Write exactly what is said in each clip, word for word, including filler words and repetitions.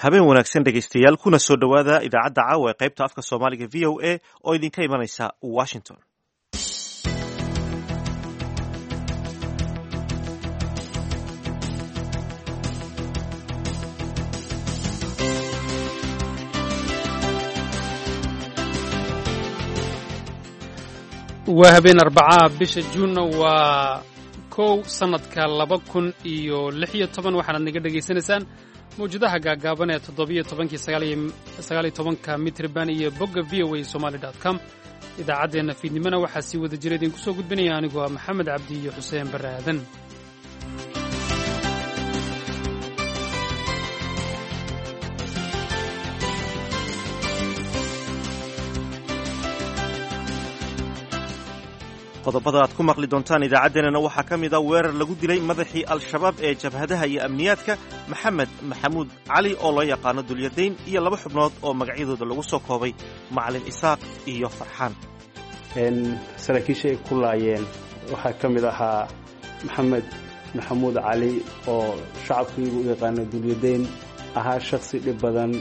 Habeen wanaagsan, dhegaystayaal, kuna soo dhowaada idaacadda caawa ee qaybta afka Soomaaliga V O A oo idinka imanaysa Washington. Waa habeen Arbacaa, bisha Juunna waa kow, sannadka laba kun iyo lix iyo toban. Waxaanaad naga dhegaysanaysaan mawjadaha gaagaaban ee toddobiyo tobankii sagaaliyo tobanka mitriban iyo bogga V O A Somali dot com. Idaacaddeenna fiidnimona waxaa sii wada jira idinku soo gudbinaya anigoo ah Maxamed Cabdi iyo Xuseen Barre Aadan. Qodobada aad ku maqli doontaan idaacaddeenana waxaa ka mid a weerar lagu dilay madaxii Al-Shabaab ee jabhadaha iyo amniyaadka, Maxamed Maxamuud Cali oo loo yaqaano Dulyadayn, iyo laba xubnood oo magacyadooda lagu soo koobay Macalin Isaaq iyo Farxaan. Saraakiisha ay ku laayeen waxaa ka mid ahaa Maxamed Maxamuud Cali oo shacabkiigu u yaqaano Dulyadayn, ahaa shakhsi dhib badan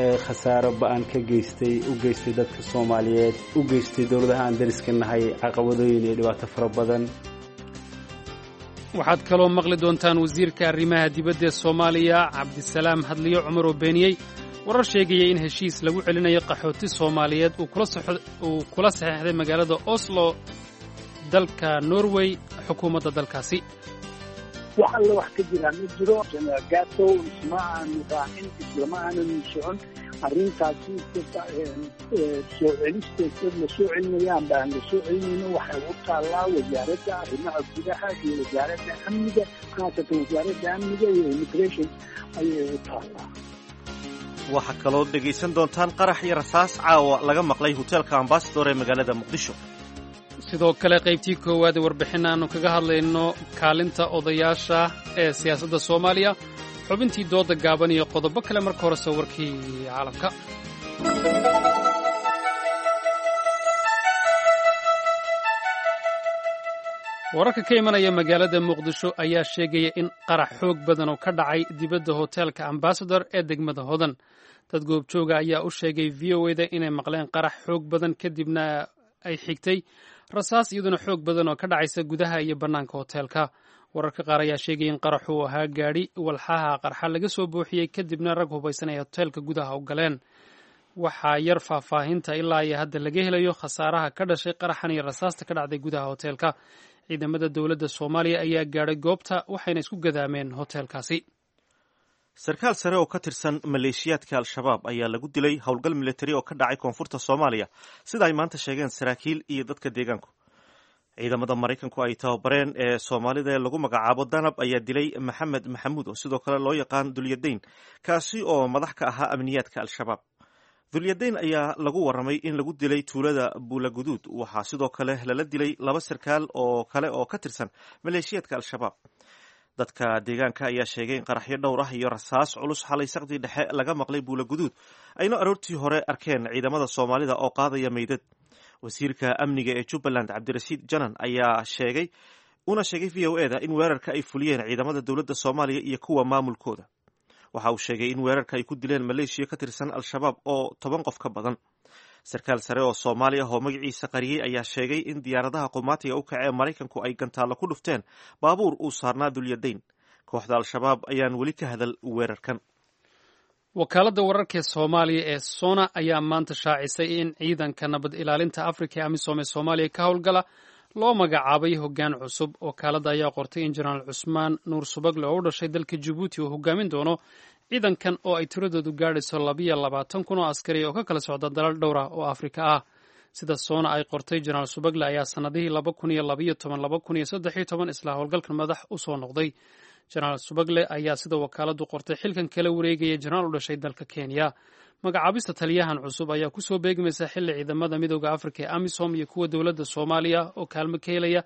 ee khasaaro ba'an ka geystay u geystay dadka Soomaaliyeed, u geystay dowladaha aan dariska nahay caqabadooyin iyo dhibaato fara badan. Waxaad kaloo maqli doontaan wasiirka arrimaha dibadda ee Soomaaliya, Cabdisalaam Hadliyo Cumar, oo beeniyey warar sheegaya in heshiis lagu celinayo qaxooti Soomaaliyeed uu kula saxeexday magaalada Oslo, dalka Norway, xukuumadda dalkaasi. Wax alle wax ka jiraa ma jiro. Jenaraal Gato isma aanu raacin, islama aanan socon arrintaasi. Soo celisteed la soo celinaya amba aan la soo celinayno waxay u taallaa Wasaaradda Arrimaha Gudaha iyo Wasaaradda Amniga, khaasatan Wasaaradda Amniga iyo Immigration ayay u taallaa. Waxaa kaloo dhegaysan doontaan qarax iyo rasaas caawa laga maqlay hoteelka Ambasador ee magaalada Muqdisho. Sidoo kale qaybtii koowaad ee warbixin aanu kaga hadlayno kaalinta odayaasha ee siyaasadda Soomaaliya, xubintii dooda gaaban iyo qodobo kale. Marka horese warkii caalamka. Wararka ka imanaya magaalada Muqdisho ayaa sheegaya in qarax xoog badan oo ka dhacay dibadda hoteelka Ambasador ee degmada Hodan. Dad goobjooga ayaa u sheegay V O A da inay maqleen qarax xoog badan, kadibna ay xigtay rasaas iyaduna xoog badan oo ka dhacaysa gudaha iyo bannaanka hoteelka. Wararka qaar ayaa sheegaya in qaraxu uu ahaa gaadhi walxaha qarxa laga soo buuxiyey, kadibna rag hubaysan ay hoteelka gudaha u galeen. Waxaa yar faahfaahinta ilaa iyo hadda laga helayo khasaaraha ka dhashay qaraxan iyo rasaasta ka dhacday gudaha hoteelka. Ciidamada dowladda Soomaaliya ayaa gaadhay goobta, waxayna isku gadaameen hoteelkaasi. Sarkaal sare oo ka tirsan maleeshiyaadka Al-Shabaab ayaa lagu dilay howlgal militari oo ka dhacay koonfurta Soomaaliya, sida ay maanta sheegeen saraakiil iyo dadka deegaanku. Ciidamada Maraykanku ay tababareen ee Soomaalida ee lagu magacaabo Danab ayaa dilay Maxamed Maxamuud oo sidoo kale loo yaqaan Dulyadayn, kaasi oo madax ka ahaa amniyaadka Al-Shabaab. Dulyadayn ayaa lagu warramay in lagu dilay tuulada Buulaguduud. Waxaa sidoo kale lala dilay laba sarkaal oo kale oo ka tirsan maleeshiyaadka Al-Shabaab. Dadka deegaanka ayaa sheegay in qaraxyo dhowr ah iyo rasaas culus xalay saqdii dhexe laga maqlay Buulaguduud, ayna aroortii hore arkeen ciidamada Soomaalida oo qaadaya meydad. Wasiirka amniga ee Jubbaland, Cabdirashiid Janan, ayaa sheegay una sheegay V O A da in weerarka ay fuliyeen ciidamada dowladda Soomaaliya iyo kuwa maamulkooda. Waxa uu sheegay in weerarka ay ku dileen maleeshiya ka tirsan Al-Shabaab oo toban qof ka badan. Sarkaal sare oo Soomaali ah oo magaciisa qariyey ayaa sheegay in diyaaradaha qumaatiga u kacee Maraykanku ay gantaallo ku dhufteen baabuur uu saarnaa Dulyadayn. Kooxda Al-Shabaab ayaan weli ka hadal weerarkan. Wakaaladda wararka ee Soomaaliya ee SONA ayaa maanta shaacisay in ciidanka nabad ilaalinta Afrika ee AMISOM ee Soomaaliya ka howlgala loo magacaabay hoggaan cusub. Wakaaladda ayaa qortay in Jenaraal Cusmaan Nuur Subagle oo u dhashay dalka Jabuuti uu hogaamin doono ciidankan oo ay tiradoodu gaadhayso labiyo labaatan kun oo askari oo ka kala socda dalal dhowr ah oo Afrika ah. Sida SONA ay qortay, Jenaraal Subagle ayaa sannadihii laba kun iyo labayo toban, laba kun iyo saddex iyo toban isla howlgalkan madax u soo noqday. Jenaraal Subagle ayaa, sida wakaaladdu qortay, xilkan kala wareegaya jenaraal u dhashay dalka Kenya. Magacaabista taliyahan cusub ayaa kusoo beegmaysa xilli ciidamada Midooda Afrika ee AMISOM iyo kuwa dowladda Soomaaliya oo kaalmo ka helaya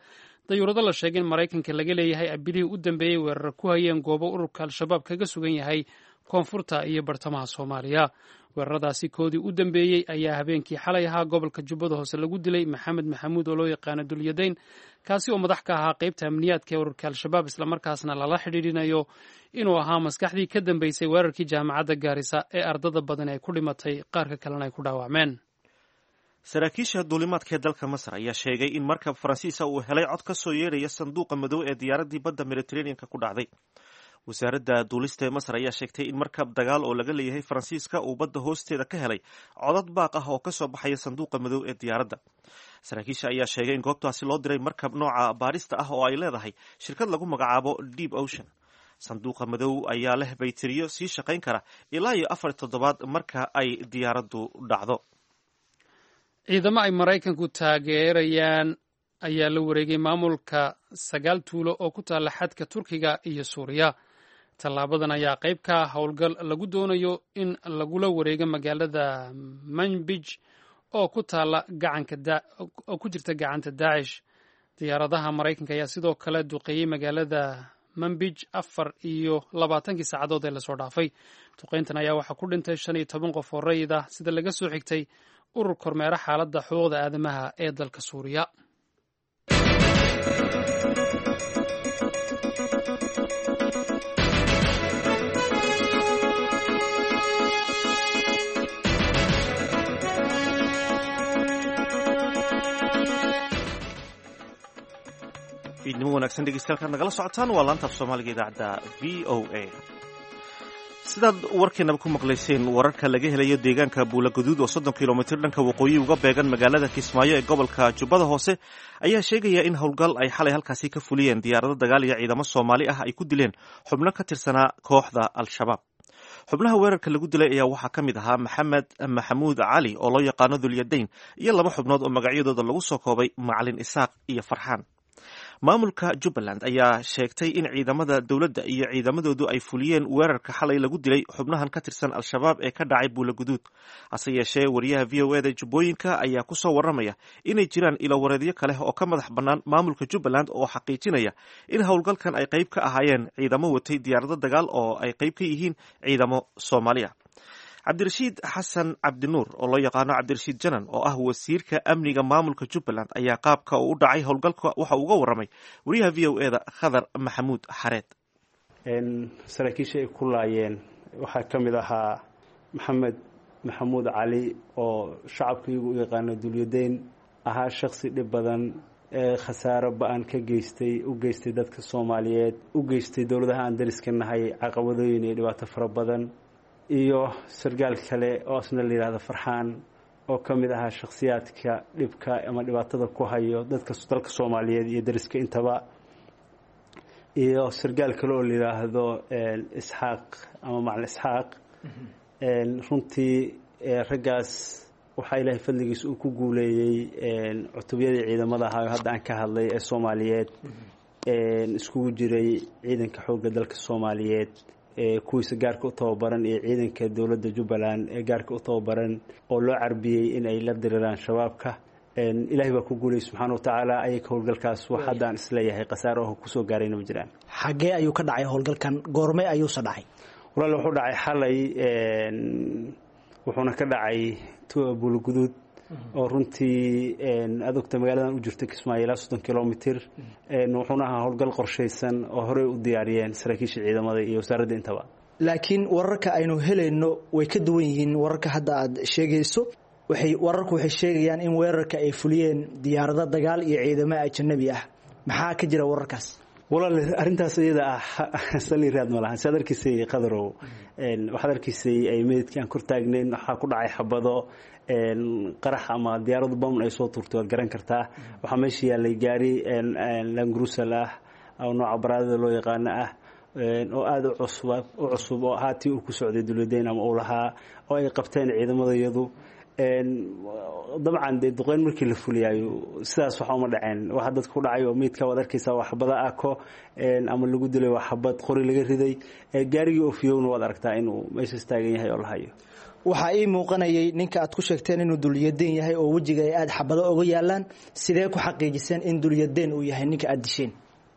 dayuurado la sheegay in Maraykanka laga leeyahay abilihii u dambeeyey weerar ku hayeen goobo ururka Al-Shabaab kaga sugan yahay koonfurta iyo bartamaha Soomaaliya. Weeraradaasi koodii u dambeeyey ayaa habeenkii xalay ahaa gobolka Jubbada Hoose lagu dilay Maxamed Maxamuud oo loo yaqaano Dulyadayn, kaasi oo madax ka ahaa qeybta amniyaadka ee ururka Al-Shabaab, islamarkaasna lala xidhiidhinayo inuu ahaa maskaxdii ka dambeysay weerarkii jaamacadda Gaarisa ee ardada badan ay ku dhimatay, qaarka kalena ay ku dhaawacmeen. Saraakiisha duulimaadka ee dalka Masar ayaa sheegay in markab Faransiisa uu helay cod ka soo yeedhaya sanduuqa madow ee diyaaraddii badda Mediterraneanka ku dhacday. Wasaaradda duulista ee Masar ayaa sheegtay in markab dagaal oo laga leeyahay Faransiiska uu badda hoosteeda ka helay codad baaq ah oo ka soo baxaya sanduuqa madow ee diyaaradda. Saraakiisha ayaa sheegay in goobtaasi loo diray markab nooca baarista ah oo ay leedahay shirkad lagu magacaabo Deep Ocean. Sanduuqa madow ayaa leh bayteriyo sii shaqayn kara ilaa iyo afar toddobaad marka ay diyaaraddu dhacdo. Ciidamo ay Maraykanku taageerayaan ayaa la wareegay maamulka sagaal tuulo oo ku taalla xadka Turkiga iyo Suuriya. Tallaabadan ayaa qayb ka ah howlgal lagu doonayo in lagula wareego magaalada Manbij oo ku taalla gacanka oo ku jirta gacanta Daacish. Diyaaradaha Maraykanka ayaa sidoo kale duqeeyey magaalada Manbij afar iyo labaatankii saacadood ee lasoo dhaafay. Duqeyntan ayaa waxaa ku dhintay shan iyo toban qof oo rayid ah, sida laga soo xigtay urur kormeera xaaladda xuquuqda aadamaha ee dalka Suuriya. Fiidnimo wanaagsan dhegeystayaal, nagala socotaan waa laanta af Soomaaliga idaacadda V O A. Sidaad warkeenaba ku maqlayseen, wararka laga helayo deegaanka Buulaguduud oo soddon kilomitir dhanka waqooyi uga beegan magaalada Kismaayo ee gobolka Jubbada Hoose ayaa sheegaya in howlgal ay xalay halkaasi ka fuliyeen diyaarado dagaal iyo ciidamo Soomaali ah ay ku dileen xubno ka tirsanaa kooxda Al-Shabaab. Xubnaha weerarka lagu dilay ayaa waxaa ka mid ahaa Maxamed Maxamuud Cali oo loo yaqaano Dulyadayn iyo laba xubnood oo magacyadooda lagu soo koobay Macalin Isaaq iyo Farxaan. Maamulka Jubbaland ayaa sheegtay in ciidamada dowladda iyo ciidamadoodu ay fuliyeen weerarka xalay lagu dilay xubnahan ka tirsan Al-Shabaab ee ka dhacay Buulaguduud. Hase yeeshee, wariyaha V O E da Jubbooyinka ayaa ku soo warramaya inay jiraan ilowareedyo kale oo ka madax bannaan maamulka Jubbaland oo xaqiijinaya in howlgalkan ay qayb ka ahaayeen ciidamo watay diyaarado dagaal oo ay qayb ka yihiin ciidamo Soomaali ah. Cabdirashiid Xasan Cabdinuur oo loo yaqaano Cabdirashiid Janan oo ah wasiirka amniga maamulka Jubbaland ayaa qaabka uu u dhacay howlgalka waxa uu uga warramay wariyaha V O E da Khadar Maxamuud Xareed. Saraakiisha ay ku laayeen waxaa ka mid ahaa Maxamed Maxamuud Cali oo shacabkaigu u yaqaano Dulyadayn, ahaa shaksi dhib badan ee khasaaro ba-an ka geystay u geystay dadka Soomaaliyeed, u geystay dowladaha aan dariska nahay caqabadooyin iyo dhibaato fara badan, iyo sargaal kale oo asna la yidhaahdo Farxaan oo ka mid ahaa shakhsiyaadka dhibka ama dhibaatada ku hayo dadka dalka Soomaaliyeed iyo dariska intaba, iyo sargaal kale oo la yidhaahdo Isxaaq ama Macalin Isxaaq. Runtii raggaas waxaa Ilaahay fadligiisa uu ku guuleeyey cutubyadii ciidamada ahaa oo hadda aan ka hadlay ee Soomaaliyeed, iskugu jiray ciidanka xoogga dalka Soomaaliyeed kuwiisa gaarka u tababaran iyo ciidanka dowladda Jubbaland ee gaarka u tababaran oo loo carbiyey in ay la diriraan Shabaabka. Ilaahay baa ku guulayay subxaana watacaala. Ayaka howlgalkaas wax hadda aan isleeyahay khasaaro oo kusoo gaarayna ma jiraan. Xaggee ayuu ka dhacay howlgalkan? Goorme ayuuse dhacay? Walaal, wuxuu dhacay xalay, wuxuuna ka dhacay Buulaguduud oo runtii adogta magaaladan u jirta Kismaayo ilaa soddon kilomitir. Wuxuuna ahaa howlgal qorshaysan oo horey u diyaariyeen saraakiisha ciidamada iyo wasaaradda intaba. Laakiin wararka aynu helayno way ka duwan yihiin wararka hadda aad sheegayso. Waxay wararku waxay sheegayaan in weerarka ay fuliyeen diyaarado dagaal iyo ciidamo ajanabi ah. Maxaa ka jira wararkaas? Walaal, arrintaas iyada ah sali raad ma lahan. Siaad arkaysay Qadarow, waxaad arkaysay ay meydkii aan kor taagnayn waxaa ku dhacay xabado qarax ama diyaaradu bam ay soo tuurtay, waad garan kartaa. Waxaa meesha yaallay gaari langrusal ah oo nooca baraadada loo yaqaano ah oo aada u cusub u cusub oo haatii uu ku socday Dulyadayn ama uu lahaa oo ay qabteen ciidamada iyadu. Dabcan dee duqeyn markii la fuliyaayo sidaas waxa uma dhaceen. Waxa dadka ku dhacay oo meydka waad arkaysaa waa xabada ako ama lagu dilay waa xabad qori laga riday. Gaarigii ofiyowna waad aragtaa inuu meeshaas taagan yahay oo la hayo. Waxaa ii muuqanayay ninka aad ku sheegteen inuu Dulyadeen yahay oo wejiga ay aada xabado oga yaalaan. Sidee ku xaqiijiseen in Dulyadeen uu yahay ninka aada disheen?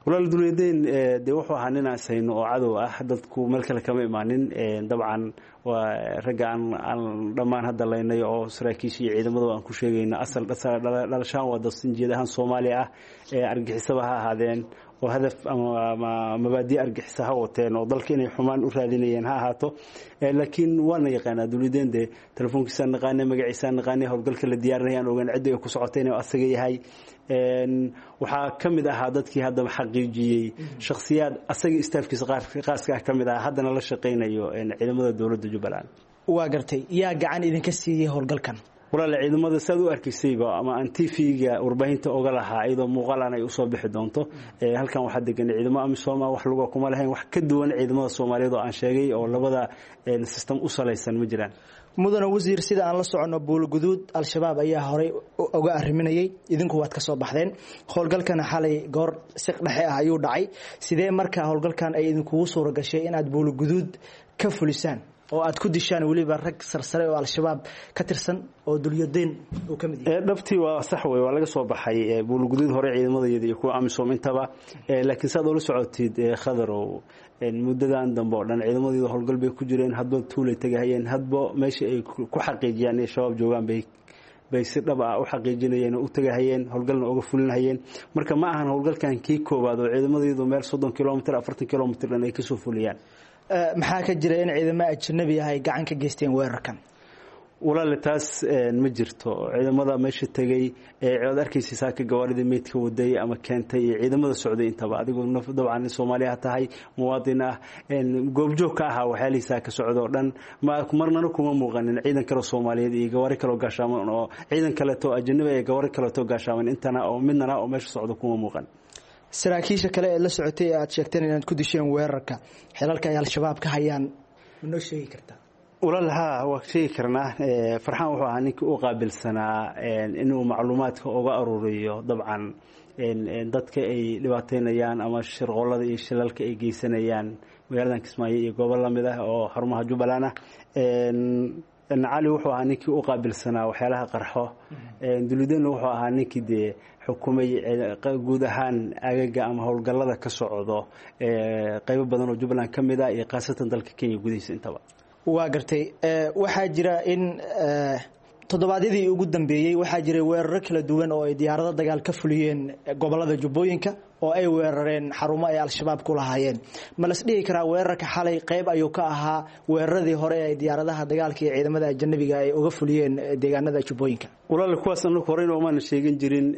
Walaal, Dulyadeyn dee wuxuu ahaa nin aan sayno oo cadow ah, dadku meel kale kama imaanin. Dabcan waa ragga aan aan dhammaan hadda laynay oo saraakiisha iyo ciidamada aan ku sheegayno asal dhalashaan waa dad sinjeed ahaan Soomaaliya ah, argixisaba ha ahaadeen oo hadaf ama mabaadi argixisa ha wateen oo dalka inay xumaan u raadinayeen ha ahaato, laakiin waana yaqaanaa Dulyadeyn. Dee telefoonkiisaan naqaanay, magaciisaan naqaanay, howlgalka la diyaarinayaan ogaan cidda ay ku socotay inuu asaga yahay. Waxaa ka mid ahaa dadkii haddaba xaqiijiyey shakhsiyaad asaga istaafkiisa qaaska ah ka mid ah, haddana la shaqaynayo ciidamada dowladda Jubbaland. Waa gartay. Yaa gacan idinka siiyey howlgalkan? Walaal, ciidamada saad u arkaysayba ama aan T V-ga warbaahinta oga lahaa iyadoo muuqaalan ay usoo bixi doonto, halkan waxaa degan ciidamo AMISOM ah, wax luga kuma lahayn. Wax ka duwan ciidamada Soomaaliyeed oo aan sheegay oo labada system u salaysan ma jiraan. Mudane wasiir, sida aan la soconno, Buulguduud Al-Shabaab ayaa horey uga arriminayay, idinku waad ka soo baxdeen. Howlgalkana xalay goor siq dhexe ah ayuu dhacay. Sidee marka howlgalkan ay idinkugu suura gashay inaad Buulguduud ka fulisaan oo aad ku dishaan weliba rag sarsare oo Al-Shabaab ka tirsan oo Dulyadeyn uu ka mid yahay? Dhabtii waa sax wey, waa laga soo baxay Buulguduud hore ciidamadayada iyo kuwa AMISOM intaba, laakiin saad ula socotid, Khadarow, muddadan dambe oo dhan ciidamadayda howlgal bay ku jireen. Hadba tuulay tegahayeen, hadba meesha ay ku xaqiijiyaan inay Shabaab joogaan bay bay si dhab ah u xaqiijinayeen oo u tagahayeen, howlgalna uga fulinahayeen. Marka ma ahan howlgalkan kii koowaad oo ciidamadaydu meel soddon kilomitr, afartan kilomitr dhan ay kasoo fuliyaan. Maxaa ka jira in ciidamo ajnabi ah ay gacan ka geysteen weerarkan? Walaale, taas ma jirto. Ciidamada meesha tegey oad arkaysa saaka gawaarida meydka waday ama keentay iyo ciidamada socday intaba, adigoo dabcan Soomaaliya tahay, muwaadin ah, goobjoog ka ahaa waxyaalihiisaa ka socda oo dhan, marnana kuma muuqanin ciidan kaleo Soomaaliyeed iyo gawaari kaleo gaashaaman oo ciidan kaleeto ajanabi ee gawaari kaleeto gaashaaman intana oo midnana oo meesha socda kuma muuqan. Saraakiisha kale ee la socotay ee aad sheegteen inaad ku disheen weerarka, xilalka ay Al-Shabaab ka hayaan ma noo sheegi kartaa? Walaal, haa, waa sheegi karnaa. Farxaan wuxuu ahaa ninkii u qaabilsanaa inuu macluumaadka uga aruuriyo dabcan dadka ay dhibaateynayaan ama shirqoolada iyo shilalka ay geysanayaan magaaladan Kismaayo iyo goobo lamid ah oo xarumaha Jubbaland ah. Cali wuxuu ahaa ninkii u qaabilsanaa waxyaalaha qarxo. Dulyadeynna wuxuu ahaa ninkii dee xukumay guud ahaan agaga ama howlgallada ka socdo qaybo badan oo Jubbaland ka mid ah iyo khaasatan dalka Kenya gudihiisa intaba. Waa gartay. Waxaa jira in toddobaadyadii ugu dambeeyey waxaa jiray weeraro kala duwan oo ay diyaarado dagaal ka fuliyeen gobolada Jubbooyinka oo ay weerareen xarumo ay Al-Shabaab ku lahaayeen. Ma las dhihi karaa weerarka xalay qayb ayuu ka ahaa weeraradii hore ay diyaaradaha dagaalka iyo ciidamada ajanabiga ay uga fuliyeen deegaanada Jubbooyinka? Walaal, kuwaas anagu horeyna umaana sheegin jirin.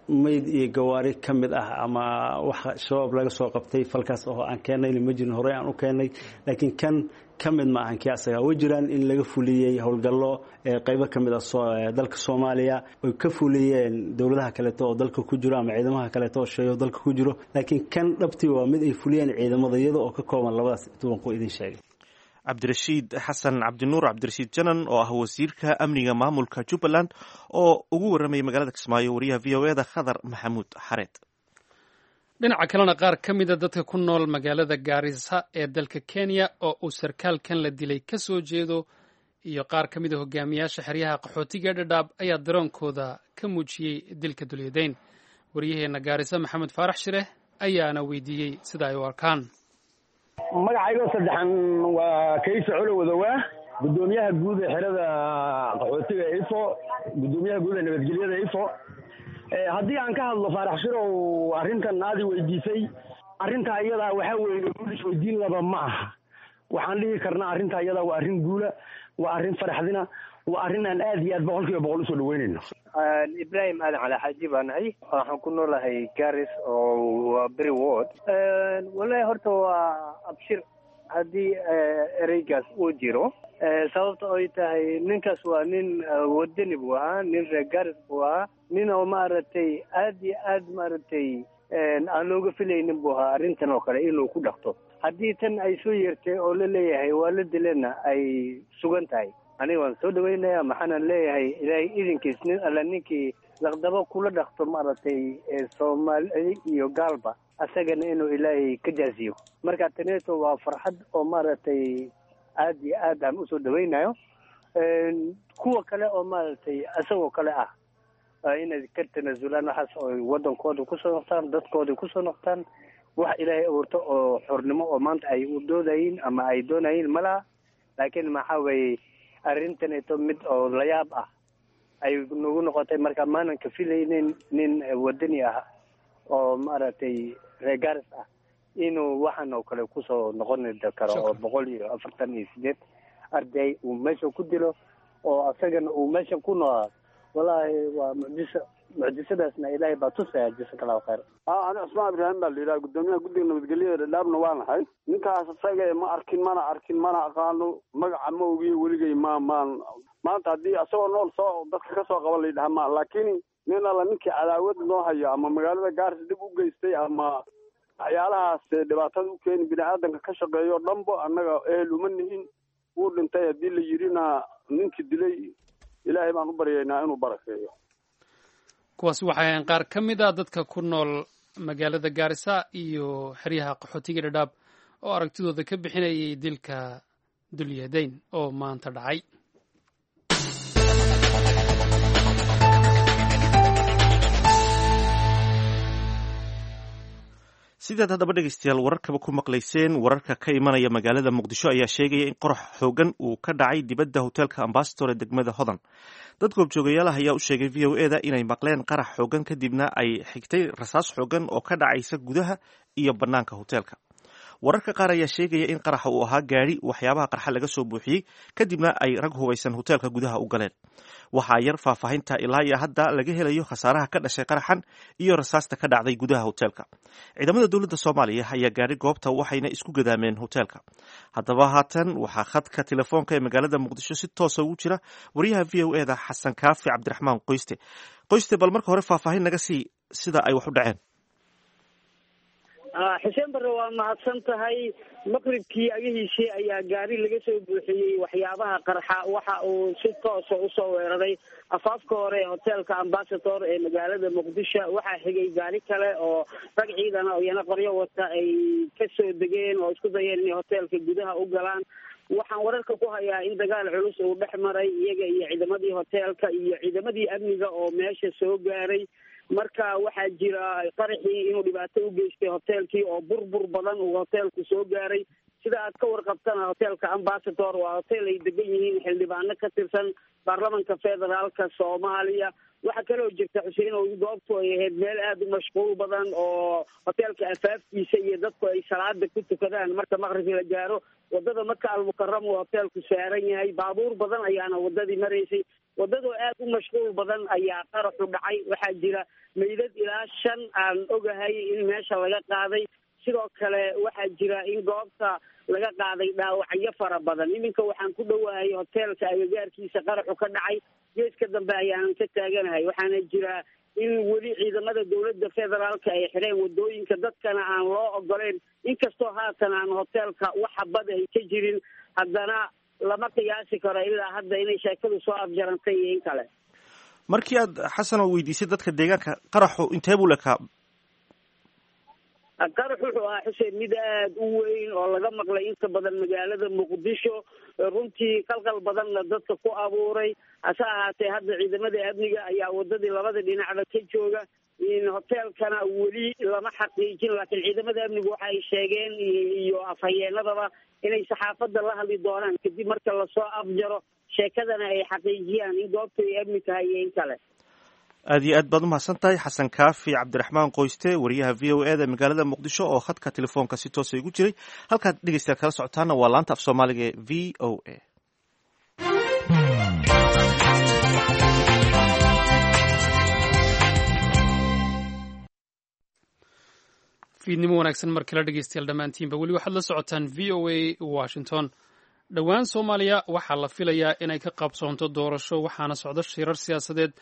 Mayd iyo gawaari ka mid ah ama waxa Shabaab laga soo qabtay falkaas oo aan keenayna ma jirin, horey aan u keenay, laakiin kan ka mid ma ahan kii asaga. Way jiraan in laga fuliyey howlgallo qaybo ka mid ah dalka Soomaaliya oy ka fuliyeen dowladaha kaleeto oo dalka ku jiro ama ciidamaha kaleeto oo sheeyo dalka ku jiro, laakiin kan dhabtii waa mid ay fuliyeen ciidamada iyada oo ka kooban labadaas tubanku idin sheegay. Cabdirashiid Xasan Cabdinuur, Cabdirashiid Janan, oo ah wasiirka amniga maamulka Jubbaland oo ugu warramayay magaalada Kismaayo wariyaha V O E da Khadar Maxamuud Xareed. Dhinaca kalena, qaar ka mida dadka ku nool magaalada Gaarisa ee dalka Kenya oo uu sarkaalkan la dilay ka soo jeedo iyo qaar ka mida hogaamiyaasha xeryaha qaxootiga Dhadhaab ayaa daroonkooda ka muujiyey dilka Dulyadeyn. Waryaheena Gaarisa, Maxamed Faarax Shireh, ayaana weydiiyey sida ay u arkaan. Magacaygoo saddexan waa Kayse Colo Wadowaa, guddoomiyaha guud ee xerada qaxootiga Ifo, guddoomiyaha guud ee nabadgelyada Ifo. Haddii aan ka hadlo, Faarax Shirow, arrintan aadi weydiisay, arrintaa iyadaa waxaa weeye guul isweydiin laba ma aha. Waxaan dhihi karnaa arrintaa iyadaa waa arrin guula, waa arrin faraxdina, waa arrin aan aad iyo aad boqol kiiba boqol usoo dhaweynayno. Ibrahim Aadan Cali Xaaji baa nahay. Waxaan ku noolahay Garis oo waa Beri Ward. Wallahi horta waa abshir haddii ereygaas uu jiro, sababta oy tahay ninkaas waa nin wadani buu ahaa, nin reer Garis buu ahaa, nin oo maaragtay aad iyo aad maaragtay aan looga filaynin buu ahaa arrintan oo kale inuu ku dhaqto. Haddii tan ay soo yeertay oo la leeyahay waa la dilena ay sugan tahay, aniga waan soo dhaweynaya. Maxaanan leeyahay? Ilaahay idinkiis nin alla ninkii laqdabo kula dhaqto maaragtay Soomaali iyo gaalba, asagana inuu Ilaahay ka jaaziyo. Marka taneeto waa farxad oo maaragtay aad iyo aad aan usoo dhaweynayo. Kuwa kale oo maaragtay isagoo kale ah Inay ka tanaasulaan waxaas oo wadankooda kusoo noqtaan, dadkooda kusoo noqtaan. Wax Ilaahay abuurto oo xornimo oo maanta ay u doodayiin ama ay doonayiin ma laha. Laakiin maxaa weeye, arrintaneeto mid oo layaab ah ay nagu noqotay. Marka maanan ka filaynin nin wadani ah oo maaragtay reer Gaaris ah inuu waxan oo kale kusoo noqon karo, oo boqol iyo afartan iyo sideed arday uu meesha ku dilo oo asagana uu meesha ku noolaa. Wallaahi waa mucjiso, mucjisadaasna Ilaahay baa tusaya. Jasaka Allahu khayr. Ani Cusmaan Ibraahim baa la yidhaha, guddoomiyaha guddiga nabadgelyada Dhadhaabna waa nahay. Ninkaas isaga ma arkin, mana arkin, mana aqaano, magaca ma ogiyo weligay ma maan. Maanta haddii asagoo nool soo dadka ka soo qaban la yidhaha ma, laakiin nin alla ninkii cadaawad noo hayo ama magaalada Gaaris dhib u geystay ama waxyaalahaas dhibaatada u keeni bini aadanka ka shaqeeyo dhanbo, annaga ehel uma nihin. Wuu dhintay haddii la yidhina, ninkii dilay Ilaahay baan u baryaynaa inuu barakeeyo. Kuwaasi waxay ahayn qaar ka mid a dadka ku nool magaalada Gaarisa iyo xeryaha qaxootiga Dhadhaab oo aragtidooda ka bixinayay dilka Dulyadayn oo maanta dhacay. Sidaad haddaba dhegeystayaal wararkaba ku maqlayseen, wararka ka imanaya magaalada Muqdisho ayaa sheegaya in qorax xoogan uu ka dhacay dibadda hoteelka Ambasador ee degmada Hodan. Dad goobjoogayaal ah ayaa u sheegay V O E da inay maqleen qarax xoogan, kadibna ay xigtay rasaas xoogan oo ka dhacaysa gudaha iyo bannaanka hoteelka. Wararka qaar ayaa sheegaya in qaraxa uu ahaa gaadhi waxyaabaha qarxa laga soo buuxiyey, kadibna ay rag hubaysan hoteelka gudaha u galeen. Waxaa yar faahfaahinta ilaa iyo hadda laga helayo khasaaraha ka dhashay qaraxan iyo rasaasta ka dhacday gudaha hoteelka. Ciidamada dowladda Soomaaliya ayaa gaadhay goobta, waxayna isku gadaameen hoteelka. Haddaba haatan waxaa khadka telefoonka ee magaalada Muqdisho si toosa ugu jira wariyaha V O E da Xasan Kaafi Cabdiraxmaan Qoyste. Qoyste, bal marka hore faahfaahin naga sii sida ay wax u dhaceen. Xuseen Barre, waa mahadsan tahay. Maqribkii agihiisii ayaa gaari laga soo buuxiyey waxyaabaha qarxa waxa uu si toosa usoo weeraray afaafka hore ee hoteelka Ambasador ee magaalada Muqdisho. Waxaa xigay gaari kale oo rag ciidan oo iyana qoryo wata ay kasoo degeen oo isku dayeen inay hoteelka gudaha u galaan. Waxaan wararka ku hayaa in dagaal culus uu dhex maray iyaga iyo ciidamadii hoteelka iyo ciidamadii amniga oo meesha soo gaaray. Marka waxaa jira qaraxii inuu dhibaato u geystay hoteelkii oo burbur badan uu hoteelku soo gaaray. Sida aad ka warqabtana, hoteelka Ambasador waa hotel ay degan yihiin xildhibaano ka tirsan baarlamanka federaalka Soomaaliya. Waxaa kaloo jirta, Xuseen, oo goobtu ay ahayd meel aada u mashquul badan oo hoteelka afaafkiisa iyo dadku ay salaada ku tukadaan marka maqribkii la gaaro. Wadada Maka Almukaram uu hoteelku saaran yahay, baabuur badan ayaana wadadii maraysay. Wadadoo aada u mashquul badan ayaa qaraxu dhacay. Waxaa jira meydad ilaa shan aan ogahay in meesha laga qaaday. Sidoo kale waxaa jira in goobta laga qaaday dhaawacyo fara badan. Iminka waxaan ku dhowahay hoteelka agagaarkiisa qaraxu ka dhacay, geeska dambe ayaanan ka taaganahay. Waxaana jira in weli ciidamada dowladda federaalka ay xireen wadooyinka, dadkana aan loo ogoleyn. Inkastoo haatan aan hoteelka wax xabad ay ka jirin, haddana lama qiyaasi karo ilaa hadda inay sheekadu soo afjarantay iyo in kale. Markii aad, Xasan, oo weydiisay dadka deegaanka, qaraxu intee buu lekaa? Qarax wuxuu ahaa, Xuseen, mid aada u weyn oo laga maqlay inta badan magaalada Muqdisho, runtii qalqal badanna dadka ku abuuray. Hase ahaatee hadda ciidamada amniga ayaa wadadii labada dhinacba ka jooga. Hoteelkana weli lama xaqiijin, laakiin ciidamada amnigu waxa ay sheegeen iyo afhayeenadaba inay saxaafadda la hadli doonaan kadib marka lasoo afjaro sheekadana ay xaqiijiyaan in goobtu ay amni tahay iyo in kale. Aad iyo aad baad umahadsan tahay, Xasan Kaafi Cabdiraxmaan Qoyste, wariyaha V O E da magaalada Muqdisho oo khadka telefoonka si toosa igu jiray. Halkaad dhegeystayaal kala socotaana waa laanta af Soomaaliga ee V O A. Fiidnimo wanaagsan mar kale dhegeystayaal dhammaantiinba. Weli waxaad la socotaan V O A Washington. Dhowaan Soomaaliya waxaa la filayaa inay ka qabsoonto doorasho, waxaana socdo shirar siyaasadeed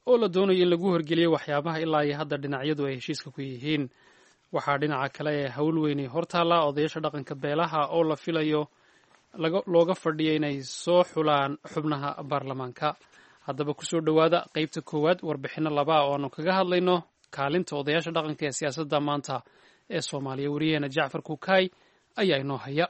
oo la doonayo in lagu horgeliyo waxyaabaha ilaa iyo hadda dhinacyadu ay heshiiska ku yihiin. Waxaa dhinaca kale ee hawl weynay hortaallaa odayaasha dhaqanka beelaha oo la filayo looga fadhiyo inay soo xulaan xubnaha baarlamaanka. Haddaba kusoo dhowaada qeybta koowaad warbixinno labaa oo aanu kaga hadlayno kaalinta odayaasha dhaqanka ee siyaasadda maanta ee Soomaaliya. Wariyaheena Jacfar Kukaay ayaa inoo haya.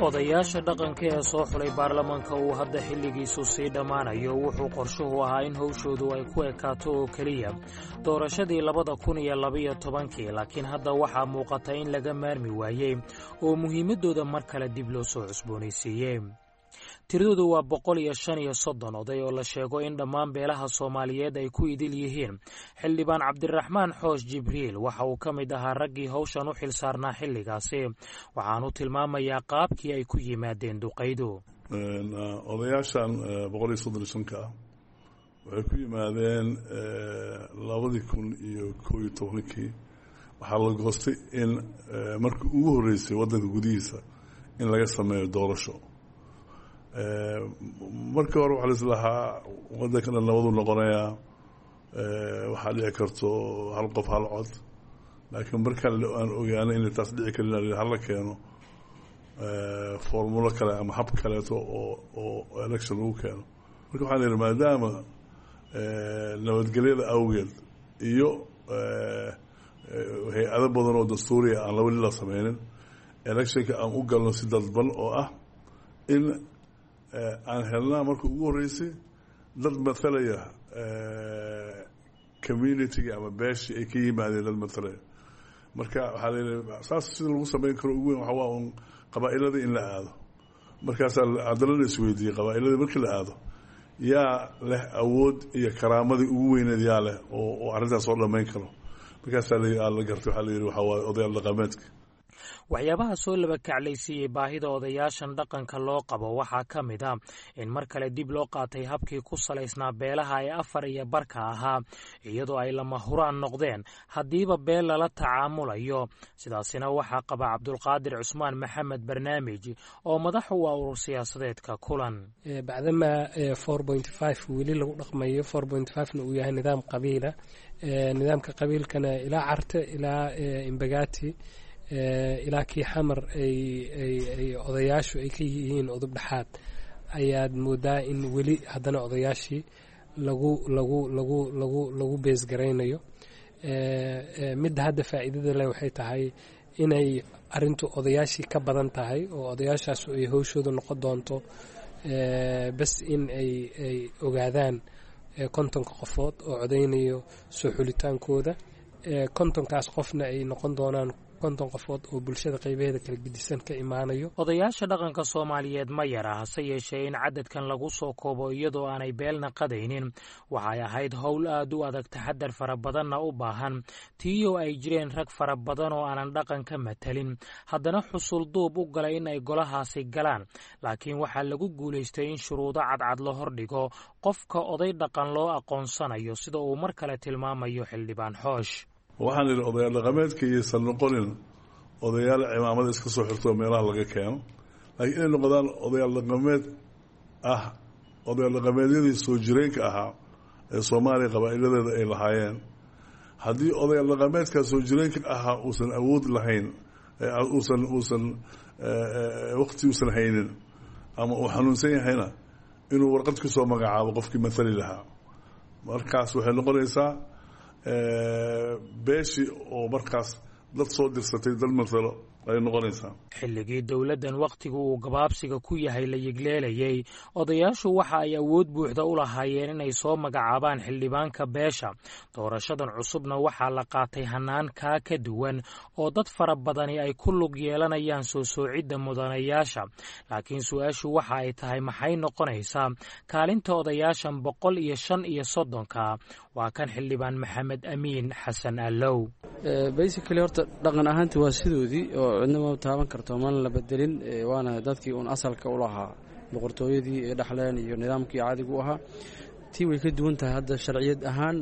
Odayaasha dhaqanka ee soo xulay baarlamaanka uu hadda xilligiisu sii dhammaanayo wuxuu qorshuhu ahaa in howshoodu ay ku ekaato oo keliya doorashadii labada kun iyo labaiyo tobankii, laakiin hadda waxaa muuqata in laga maarmi waayey oo muhiimaddooda mar kale dib loo soo cusboonaysiiyey. Tiradoodu waa boqol iyo shan iyo soddon oday oo la sheego in dhammaan beelaha Soomaaliyeed ay ku idil yihiin. Xildhibaan Cabdiraxmaan Xoosh Jibriil waxa uu ka mid ahaa raggii howshan u xil saarnaa xilligaasi, waxaanu tilmaamayaa qaabkii ay ku yimaadeen duqaydu. Odayaashan boqol iyo soddon iyo shanka ah waxay ku yimaadeen labadii kun iyo koo iyo tobankii. Waxaa la goostay in markii ugu horreysay waddanka gudihiisa in laga sameeyo doorasho. Markii hore waxaa laislahaa waddanka dhan nabaduu noqonayaa, waxaa dhici karto hal qof hal cod, laakiin markaan aan ogaanay inay taas dhici karin, hala keeno formulo kale ama hab kaleeto oo oo election lagu keeno. Marka waxaan ihi, maadaama nabadgelyada awgeed iyo hay-ado badan oo dastuuriya aan laba la sameynin, electionka aan u galno si dadban oo ah in aan helnaa marka ugu horreysay dad mathalaya community-ga ama beeshii ay ka yimaadeen, dad mathalaya. Marka waxaa la yidhi saas sida lagu sameyn karo ugu weyn waxa waa un qabaa'iladii in la aado. Markaasaa haddana la isweydiiyey, qabaa'iladii markii la aado, yaa leh awood iyo karaamadii ugu weyneed, yaa leh oo oo arrintaas soo dhammayn karo? Markaasaa la gartay, waxaa la yidhi waxaa waaye odayaal dhaqameedka. Waxyaabaha soo laba kaclaysiiyey baahida odayaashan dhaqanka loo qabo waxaa ka mid a in mar kale dib loo qaatay habkii ku salaysnaa beelaha ee afar iyo barka ahaa, iyadoo ay lama huraan noqdeen haddiiba beel lala tacaamulayo. Sidaasina waxaa qaba Cabdulqaadir Cusmaan Maxamed Barnaamij oo madax u ah urur siyaasadeedka Kulan. Bacdamaa four point five weli lagu dhaqmayo, four point five-na uu yahay nidaam qabiila, nidaamka qabiilkana ilaa Carte ilaa Imbagati ilaa kii Xamar ay ay odayaashu ay ka yihiin udub dhexaad, ayaad moodaa in weli haddana odayaashii lagu lagu lagu lagu lagu beesgaraynayo. Midda hadda faa'iidada leh waxay tahay inay arrintu odayaashii ka badan tahay, oo odayaashaasu ay howshooda noqon doonto bas in ay ay ogaadaan kontonka qofood oo codaynayo soo xulitaankooda, kontonkaas qofna ay noqon doonaan konton qofood oo bulshada qaybaheeda kala gedisan ka imaanayo. Odayaasha dhaqanka Soomaaliyeed ma yara, hase yeeshee in cadadkan lagu soo koobo iyadoo aanay beelna qadaynin waxay ahayd howl aad u adag, taxadar fara badanna u baahan, tiiyoo ay jireen rag fara badan oo aanan dhaqan ka matalin haddana xusul duub u galay in ay golahaasi galaan. Laakiin waxaa lagu guulaystay in shuruudo cadcad la hordhigo qofka oday dhaqan loo aqoonsanayo, sida uu mar kale tilmaamayo Xildhibaan Xoosh. Waxaan idhi odayaal dhaqameedka iyaysan noqonin odayaal cimaamada iska soo xirto meelaha laga keeno, laakiin inay noqdaan odayaal dhaqameed ah, odayaal dhaqameedyadii soo jireenka ahaa ee Soomaaliya qabaa'iladeeda ay lahaayeen. Haddii odayaal dhaqameedkaa soo jireenka ahaa uusan awood lahayn, uusan uusan waqti uusan haynin ama uu xanuunsan yahayna, inuu warqad ku soo magacaabo qofkii mathali lahaa. Markaas waxay noqonaysaa beeshii oo markaas dad soo dirsatay dad mathalo ay noqonaysaa. Xilligii dowladdan wakhtigu uu gabaabsiga ku yahay la yigleelayey, odayaashu waxa ay awood buuxda u lahaayeen inay soo magacaabaan xildhibaanka beesha. Doorashadan cusubna waxaa la qaatay hannaan kaa ka duwan oo dad fara badani ay ku lug yeelanayaan soo soocidda mudanayaasha. Laakiin su-aashu waxa ay tahay, maxay noqonaysaa kaalinta odayaashan boqol iyo shan iyo soddonka? Waa kan Xildhibaan Maxamed Amiin Xasan Allow. Basically horta dhaqan ahaanti waa sidoodii oo cidna ma taaban karto, mana la bedelin, waana dadkii uun asalka u lahaa boqortooyadii ay dhexleen iyo nidaamkii caadigu u ahaa. Tii way ka duwan tahay hadda sharciyad ahaan.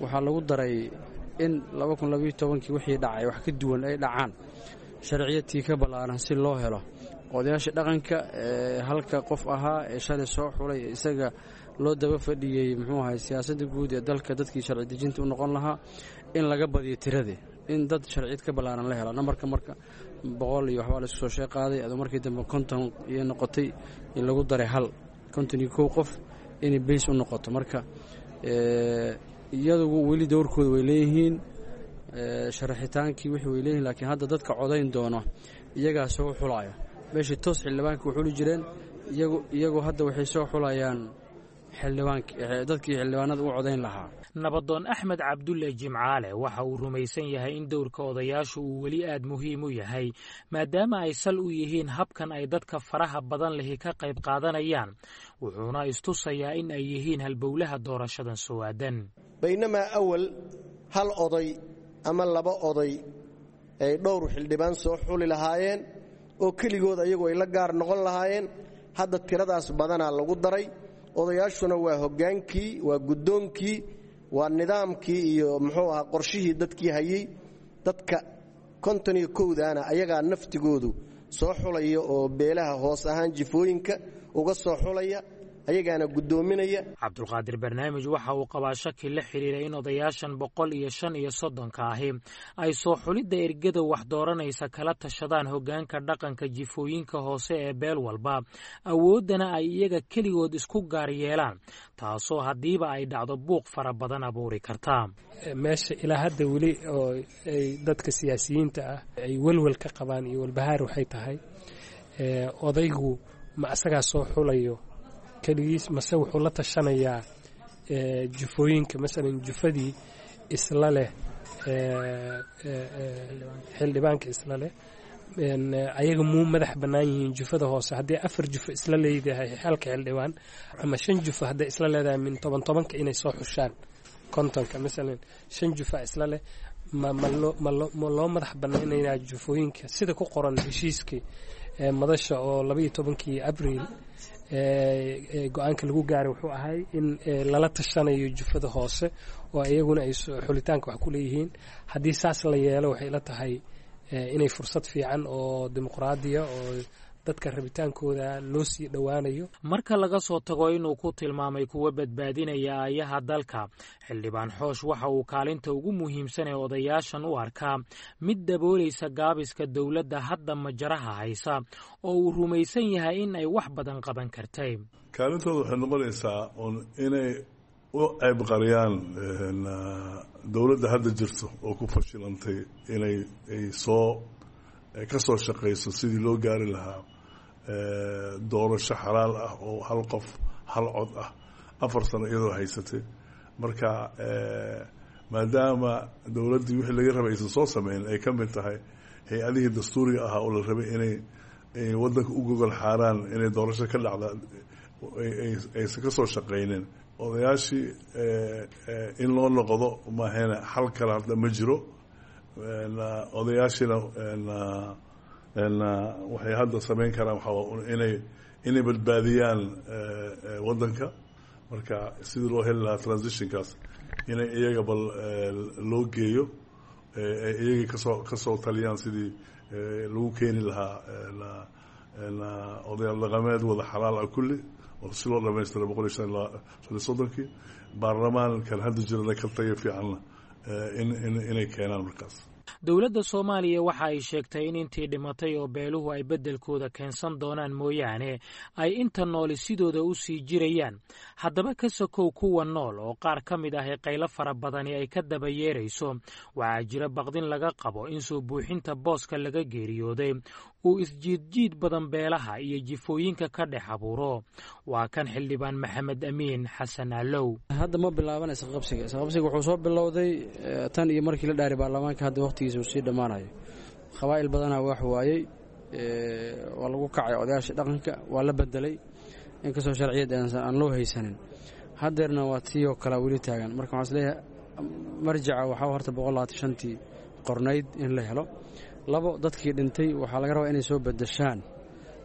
Waxaa lagu daray in laba kun labayo tobankii wixii dhacay wax ka duwan ay dhacaan, sharciyadtii ka ballaaran si loo helo. Odayaasha dhaqanka ee halka qof ahaa ee shalay soo xulay, isaga loo daba fadhiyey muxuu ahay siyaasadda guud ee dalka, dadkii sharci dejinta u noqon lahaa, in laga badiyo tiradii, in dad sharciyad ka ballaaran la helo nambarka. Marka boqol iyo waxbaa laisku soo shee qaaday, aduu markii dambe konton iyo noqotay, in lagu daray hal konton iyo kow qof inay bays u noqoto. Marka iyadugu weli dowrkooda way leeyihiin, sharaxitaankii wixii way leeyihin, laakiin hadda dadka codayn doono iyagaa soo xulaayo. Meeshii toos xildhibaanka u xuli jireen, iyagu iyagu hadda waxay soo xulayaan xildhibaank dadkii xildhibaanada u codayn lahaa. Nabadoon Axmed Cabdulle Jimcaale waxa uu rumaysan yahay in dowrka odayaashu uu weli aad muhiim u yahay, maadaama ay sal u yihiin habkan ay dadka faraha badan lihi ka qayb qaadanayaan, wuxuuna istusayaa in ay yihiin halbowlaha doorashadan soo aadan. Baynamaa awal hal oday ama laba oday ay dhowr xildhibaan soo xuli lahaayeen oo keligood ayagu ay la gaar noqon lahaayeen, hadda tiradaas badanaa lagu daray. Odayaashuna waa hoggaankii, waa guddoonkii, waa nidaamkii iyo muxuu ahaa qorshihii dadkii hayey. Dadka konton iyo kowdaana ayagaa naftigoodu soo xulaya oo beelaha hoos ahaan jifooyinka uga soo xulaya, ayagaana guddoominaya. Cabdulqaadir Barnaamij waxa uu qabaa shaki la xidhiira in odayaashan boqol iyo shan iyo soddonka ahi ay soo xulidda ergada wax dooranaysa kala tashadaan hoggaanka dhaqanka jifooyinka hoose ee beel walba, awooddana ay iyaga keligood isku gaar yeelaan, taasoo haddiiba ay dhacdo buuq fara badan abuuri karta. Meesha ilaa hadda weli oo ay dadka siyaasiyiinta ah ay welwel ka qabaan iyo walbahaar waxay tahay, odaygu ma asagaa soo xulayo keligiis mase wuxuu la tashanayaa jufooyinka, masalan jufadii isla leh xildhibaanka isla leh, ayaga muu madax bannaan yihiin jufada hoose? Haddii afar jufo isla leedahay halka xildhibaan ama shan jufo hadday isla leedahay, min toban tobanka inay soo xushaan kontonka, masalan shan jufa isla leh, ma malo malo ma loo madax bannaynayaa jufooyinka sida ku qoran heshiiskii madasha oo labaiyo tobankii Abriil go-aanka lagu gaaray? Wuxuu ahay in lala tashanayo jufada hoose oo iyaguna ay xulitaanka wax ku leeyihiin. Haddii saas la yeelo, waxay la tahay inay fursad fiican oo dimuqraadiya oo dadka rabitaankooda loo sii dhowaanayo. Marka laga soo tago inuu ku tilmaamay kuwa badbaadinaya aayaha dalka, xildhibaan Xoosh waxa uu kaalinta ugu muhiimsan ee odayaashan u arkaa mid daboolaysa gaabiska dowladda hadda majaraha haysa, oo uu rumaysan yahay in ay wax badan qaban kartay. Kaalintooda waxay noqonaysaa un inay u ceybqariyaan dowladda hadda jirto oo ku fashilantay inay ay soo ka soo shaqayso sidii loo gaari lahaa doorasho xalaal ah oo hal qof hal cod ah, afar sano iyadoo haysatay. Marka maadaama dowladdii wixii laga rabay aysan soo sameyn, ay ka mid tahay hay-adihii dastuuriga ahaa oo la rabay inay ay waddanka u gogol xaaraan inay doorasho ka dhacda, aysan ka soo shaqaynin, odayaashii in loo noqdo maahayna xal kale hadda ma jiro. Odayaashiina waxay hadda samayn karaan waxaa inay inay badbaadiyaan waddanka. Marka sidii loo heli lahaa transitionkaas, inay iyaga bal loo geeyo, ay iyaga kasoo kasoo taliyaan sidii lagu keeni lahaa odayaal dhaqameed wada xalaal ah kulli, oo si loo dhamaystira boqol iyo shan iyo soddonkii baarlamaankan hadda jirana ka tayo fiicanna in inay keenaan markaas. Dowladda Soomaaliya waxa ay sheegtay in intii dhimatay oo beeluhu ay beddelkooda keensan doonaan mooyaane, ay inta nooli sidooda u sii jirayaan. Haddaba ka sokow kuwa nool oo qaar ka mid ah ee qaylo fara badani ay ka daba yeerayso, waxaa jira baqdin laga qabo in soo buuxinta booska laga geeriyooday uu isjiidjiid badan beelaha iyo jifooyinka ka dhex abuuro. Waa kan xildhibaan Maxamed Amiin Xasan Allow. Hadda ma bilaaban isqabsiga. Isqabsiga wuxuu soo bilowday tan iyo markii la dhaaray baarlamaanka. Hadda waqtigiisa uu sii dhammaanayo, qabaa'il badanaa wax waayey, waa lagu kacay odayaasha dhaqanka, waa la bedelay inkastoo sharciyad aan loo haysanin. Haddeerna waa tii oo kalea weli taagan. Marka waxaan isleeyahay marjaca waxaa horta boqol labaatan shantii qornayd in la helo. Labo, dadkii dhintay waxaa laga rabaa inay soo bedeshaan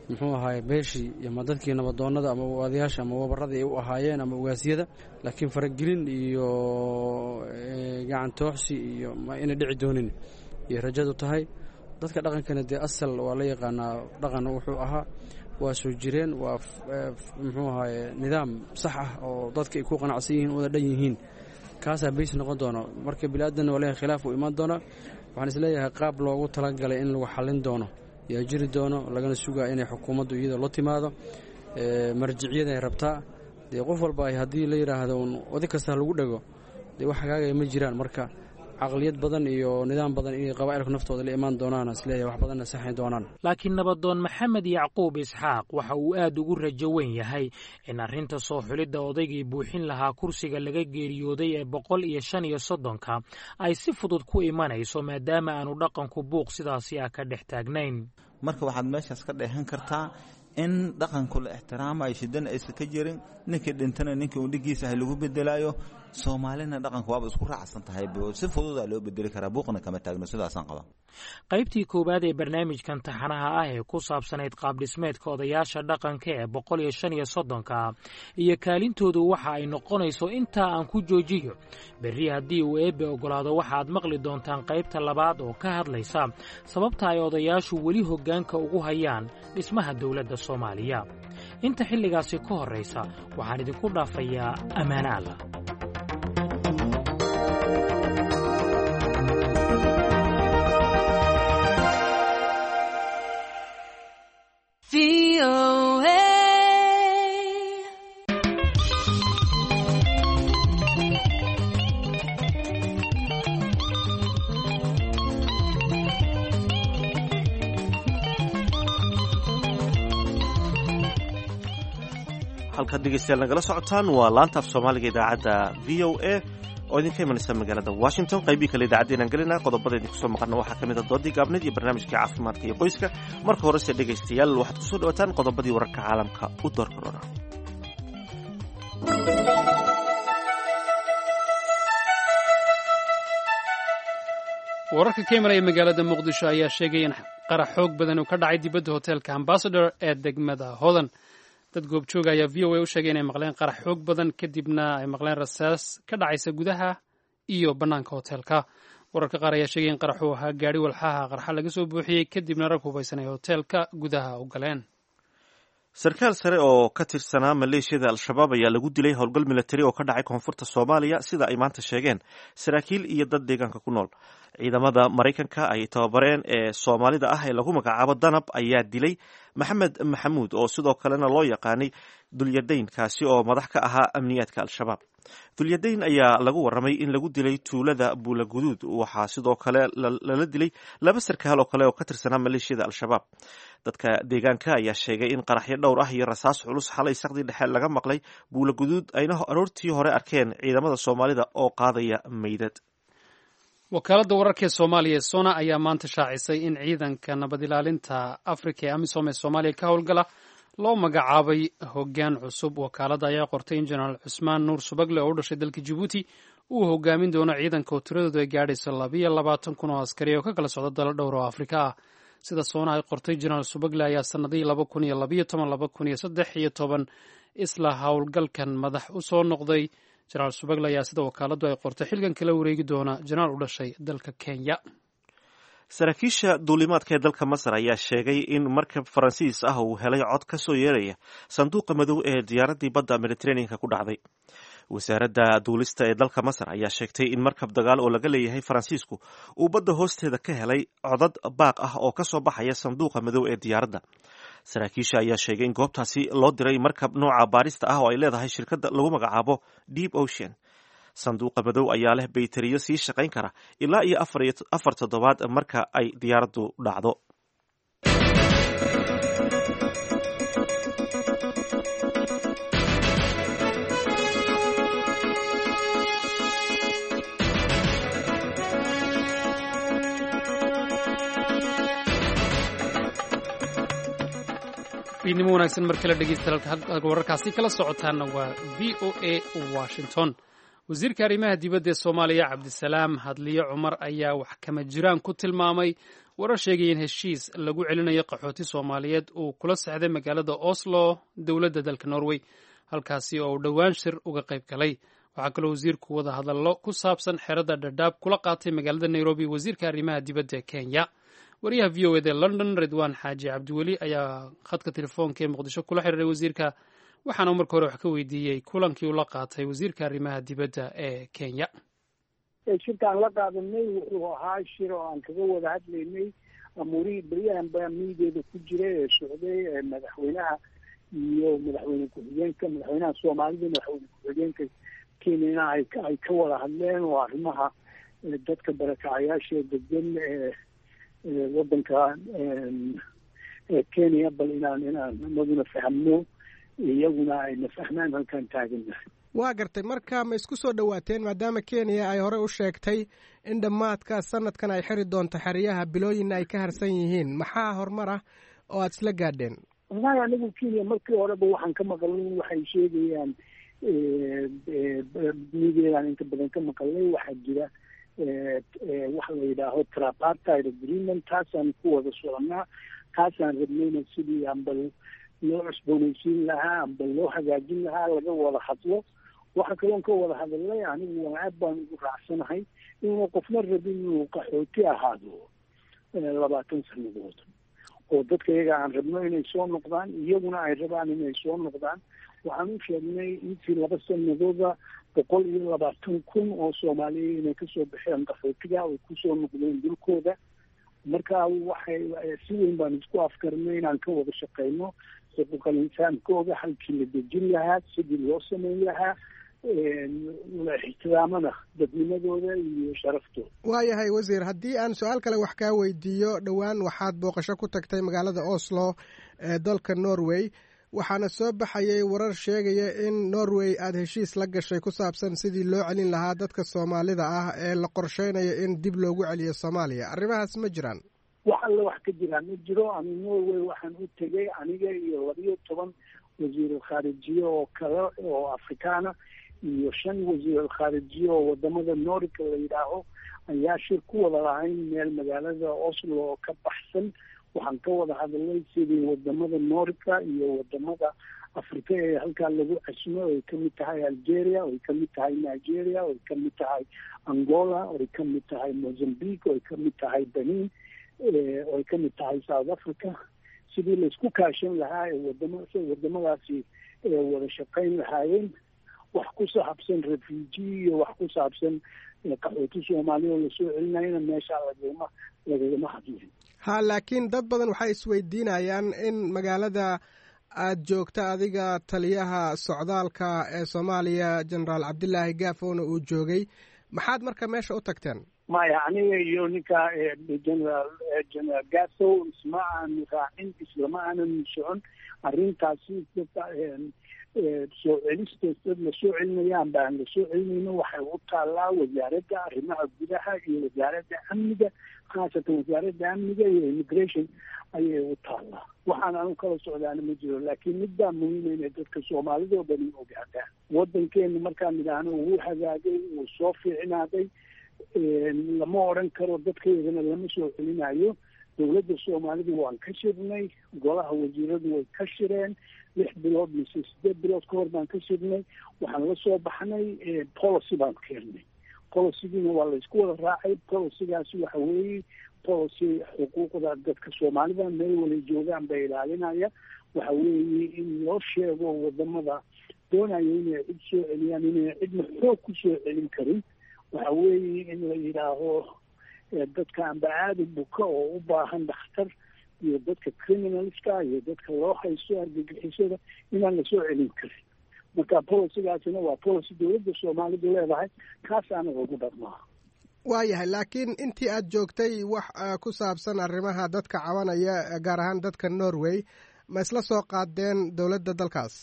muxuu ahaay beeshii ama dadkii nabadoonnada ama odayaasha ama wabarradii ay u ahaayeen ama ugaasyada. Laakiin faragelin iyo gacan tooxsi iyo ma inay dhici doonin iyo rajadu tahay. Dadka dhaqankana dee asal waa la yaqaanaa, dhaqan wuxuu ahaa waa soo jireen, waa muxuu ahaaye nidaam sax ah oo dadka ay ku qanacsan yihiin, wada dhan yihiin, kaasaa bays noqon doono. Marka biniaadanna waa leeyahay, khilaaf uu imaan doonaa. Waxaan isleeyahay qaab loogu talagalay in lagu xallin doono yaa jiri doono, lagana sugaa inay xukuumaddu iyada la timaado marjiciyada ay rabtaa. Dee qof walba ay haddii la yidhaahdo un oday kasta lagu dhego, dee wax hagaagaya ma jiraan. Marka Caqliyad badan iyo nidaam badan inay qabaa'ilku naftooda la imaan doonaan, isleeyahay wax badanna saxi doonaan. Laakiin nabadoon Maxamed Yacquub Isxaaq waxa uu aad ugu rajo weyn yahay in arrinta soo xulidda odaygii buuxin lahaa kursiga laga geeriyooday ee boqol iyo shan iyo soddonka ay si fudud ku imanayso, maadaama aanu dhaqanku buuq sidaasi ah ka dhex taagnayn. Marka waxaad meeshaas ka dheehan kartaa in dhaqanku la ixtiraamayo, shidana aysan ka jirin, ninkii dhintana ninkii uu dhigiisa ahay lagu bedelaayo. Soomaalina dhaqanku waaba isku raacsan tahay, si fududaa loo bedeli karaa, buuqna kama taagno, sidaasaan qaba. Qaybtii koowaad ee barnaamijkan taxanaha ah ee ku saabsanayd qaabdhismeedka odayaasha dhaqanka ee boqol iyo shan iyo soddonka iyo kaalintoodu waxa ay noqonayso intaa aan ku joojiyo. Berri haddii uu Eebbe oggolaado waxaad maqli doontaan qaybta labaad oo ka hadlaysa sababta ay odayaashu weli hoggaanka ugu hayaan dhismaha dowladda Soomaaliya. Inta xilligaasi ka horraysa waxaan idinku dhaafayaa ammaane Allah. Halkaad dhegeystayaal nagala socotaan waa laanta af Soomaaliga idaacadda V O A oo idinka imanaysa magaalada Washington. Qaybii kale idaacaddeenaan gelina, qodobada idinku soo maqalna waxaa ka mid a doodii gaabneed iyo barnaamijkii caafimaadka iyo qoyska. Marka horese dhegaystayaal waxaad kusoo dhawataan qodobadii wararka caalamka u door korona. Wararka ka imanaya magaalada Muqdisho ayaa sheegaya in qarax xoog badan uu ka dhacay dibadda hoteelka Ambassador ee degmada Hodan. Dad goobjooga ayaa V O A u sheegay inay maqleen qarax xoog badan, kadibna ay maqleen rasaas ka dhacaysa gudaha iyo bannaanka hoteelka. Wararka qaar ayaa sheegay in qaraxuu ahaa gaari walxaha qarxa laga soo buuxiyey, kadibna rag hubaysan ay hoteelka gudaha u galeen. Sarkaal sare oo ka tirsanaa maleeshiyada Al-Shabaab ayaa lagu dilay howlgal militari oo ka dhacay koonfurta Soomaaliya, sida ay maanta sheegeen saraakiil iyo dad deegaanka ku nool. Ciidamada Maraykanka ay tababareen ee Soomaalida ah ee lagu magacaabo Danab ayaa dilay Maxamed Maxamuud oo sidoo kalena loo yaqaanay Dulyadayn, kaasi oo madax ka ahaa amniyaadka Al-Shabaab. Dulyadayn ayaa lagu warramay in lagu dilay tuulada Buulaguduud. Waxaa sidoo kale lala dilay laba sarkaal oo kale oo ka tirsanaa maleeshiyada Al-Shabaab. Dadka deegaanka ayaa sheegay in qaraxyo dhowr ah iyo rasaas culus xalay saqdii dhexe laga maqlay Buulaguduud, ayna aroortii hore arkeen ciidamada Soomaalida oo qaadaya meydad. Wakaaladda wararka ee Soomaaliya ee SONA ayaa maanta shaacisay in ciidanka nabad ilaalinta Afrika ee AMISOM ee Soomaaliya ka howlgala loo magacaabay hoggaan cusub. Wakaaladda ayaa qortay in Jenaraal Cusmaan Nuur Subagle oo u dhashay dalka Jabuuti uu hogaamin doono ciidanka oo tiradoodu ay gaadhayso labiyo labaatan kun oo askari oo ka kala socda dalo dhowr oo Afrika ah. Sida SONA ay qortay, Jenaraal Subagle ayaa sannadihii laba kun iyo labiyo toban laba kun iyo saddex iyo toban isla howlgalkan madax u soo noqday. Jenaraal Subagle ayaa sida wakaaladdu ay qortay xilkan kala wareegi doona jenaraal u dhashay dalka Kenya. Saraakiisha duulimaadka ee dalka Masar ayaa sheegay in markab Faransiis ah uu helay cod ka soo yeeraya sanduuqa madow ee diyaaraddii badda Mediterraneanka ku dhacday. Wasaaradda duulista ee dalka Masar ayaa sheegtay in markab dagaal oo laga leeyahay Faransiisku uu badda hoosteeda ka helay codad baaq ah oo ka soo baxaya sanduuqa madow ee diyaaradda. Saraakiisha ayaa sheegay in goobtaasi loo diray markab nooca baarista ah oo ay leedahay shirkadda lagu magacaabo Deep Ocean. Sanduuqa madow ayaa leh bayteriyo sii shaqayn kara ilaa iyo afar toddobaad marka ay diyaaraddu dhacdo. Fiidnimo wanaagsan mar kale dhegeystayaal, halka wararkaasi kala socotaana waa V O A Washington. Wasiirka arrimaha dibadda ee Soomaaliya Cabdisalaam Hadliye Cumar ayaa wax kama jiraan ku tilmaamay warar sheegaya in heshiis lagu celinayo qaxooti Soomaaliyeed uu kula sexday magaalada Oslo dowladda dalka Norway, halkaasi oo uu dhowaan shir uga qayb galay. Waxaa kaloo wasiirku wada hadallo ku saabsan xerada Dhadhaab kula qaatay magaalada Nairobi wasiirka arrimaha dibadda ee Kenya. Wariyaha V O A da London Ridwaan Xaaji Cabdiweli ayaa khadka telefoonka ee Muqdisho kula xiriiray wasiirka, waxaana marka hore wax ka weydiiyey kulankii uu la qaatay wasiirka arrimaha dibadda ee Kenya. Shirkaan la qaadanay wuxuu ahaa shir oo aan kaga wada hadlaynay amuurihii beryahan baa miigeeda ku jiray ee socday ee madaxweynaha iyo madaxweyne ku-xigeenka, madaxweynaha Soomaalida, madaxweyne ku-xigeenka Kenyana ay ay ka wada hadleen oo arrimaha Dadka barakacayaasha degan waddanka Kenya, bal inaan inaan inaguna fahmno, iyaguna ayna fahmaan halkaan taagannahay. Waa gartay. Marka ma isku soo dhowaateen, maadaama Kenya ay horey u sheegtay in dhammaadka sanadkan ay xiri doonto xeryaha, bilooyinna ay ka harsan yihiin? Maxaa horumar ah oo aada isla gaadheen? Wallahi anigu Kenya markii horeba waxaan ka maqalnay, waxay sheegayaan mideedaan inta badan ka maqalnay, waxaa jira waxa la yidhaaho tripartite agreement, taasaan ku wada soconaa, taasaan rabnayna sidii amba loo cusboonaysiin lahaa amba loo hagaajin lahaa laga wada hadlo. Waxa kaloon ka wada hadalnay, anigu waan aad baan ugu raacsanahay inuuna qofna rabin inuu qaxooti ahaado labaatan sanadood, oo dadka iyaga aan rabno inay soo noqdaan, iyaguna ay rabaan inay soo noqdaan. Waxaan u sheegnay intii laba sanadooda boqol iyo labaatan kun oo Soomaaliya inay kasoo baxeen qaxootiga oo kusoo noqdeen dhulkooda. Marka waxay si weyn baan isku afkarnay inaan ka wada shaqeyno xuquuqal insaankooda, halkii la dejin lahaa, sidii loo sameyn lahaa, la ixtiraamana dadnimadooda iyo sharaftooda. Waayahay wasiir, haddii aan su-aal kale wax kaa weydiiyo, dhowaan waxaad booqasho ku tagtay magaalada Oslo ee dalka Norway, waxaana soo baxayay warar sheegaya in Norway aada heshiis la gashay ku saabsan sidii loo celin lahaa dadka Soomaalida ah ee la qorsheynayo in dib loogu celiyo Soomaaliya. Arrimahaas ma jiraan? Wax alle wax ka jiraan ma jiro. Ani Norway waxaan u tegay aniga iyo labiyo toban wasiirul khaarijiye oo kale oo Afrikaana iyo shan wasiirul khaarijiye oo wadamada Nordica la yidhaaho ayaa shir ku wada lahayn meel magaalada Oslo oo ka baxsan. Waxaan ka wada hadalnay sidii wadamada Nordica iyo wadamada Afrika ee halkaa lagu casmo, ay kamid tahay Algeria, ay kamid tahay Nigeria, ay kamid tahay Angola, ay kamid tahay Mozambique, ay kamid tahay Benin, ay kamid tahay South Africa, sidii laisku kaashan lahaa ee wadama wadamadaasi wada shaqayn lahaayeen. Wax ku saabsan refugee iyo wax ku saabsan qaxooti Soomaaliya oo lasoo celinayana meeshaa lagagama lagagama hadlin. Ha, laakiin dad badan waxay isweydiinayaan in magaalada aada joogta adiga taliyaha socdaalka ee Soomaaliya Jenaraal Cabdilaahi Gaafowna uu joogay, maxaad marka meesha u tagteen? Maya, aniga iyo ninka generaal generaal Gafow isma aanu raacin, islama aanan socon arrintaasi. Soo celista dad lasoo celinaya amba aan lasoo celinayno waxay u taallaa wasaaradda arrimaha gudaha iyo wasaaradda amniga, khaasatan wasaaradda amniga iyo immigration ayay u taallaa. Waxaan anu kala socdaana ma jiro, laakiin mid baa muhiima inay dadka Soomaalida oo dhani ogaadaan. Waddankeenu markaan idhaahno wuu hagaagay, wuu soo fiicnaaday, lama odhan karo dadkaydana lama soo celinayo. Dowladda Soomaalidu waan ka shirnay, golaha wasiiradu way ka shireen, lix bilood mise sideed bilood ka hor baan ka shirnay. Waxaan la soo baxnay policy baan keennay, policygiina waa laysku wada raacay. Policygaasi waxa weeye policy xuquuqda dadka Soomaalida meel walay joogaan bay ilaalinaya. Waxa weeye in loo sheego wadamada doonaya inay cid soo celiyaan inay cidna xoog ku soo celin karin. Waxa weeye in la yidhaaho dadka amba aada u buka oo u baahan dhakhtar iyo dadka criminalska iyo dadka loo haysto argagixisada inaan lasoo celin karin. Marka policygaasina waa policy dowladda Soomaalidu leedahay, kaasaana lagu dhaqmaa. Waayahay, laakiin intii aada joogtay wax ku saabsan arrimaha dadka cabanaya, gaar ahaan dadka Norway, ma isla soo qaadeen dowladda dalkaas?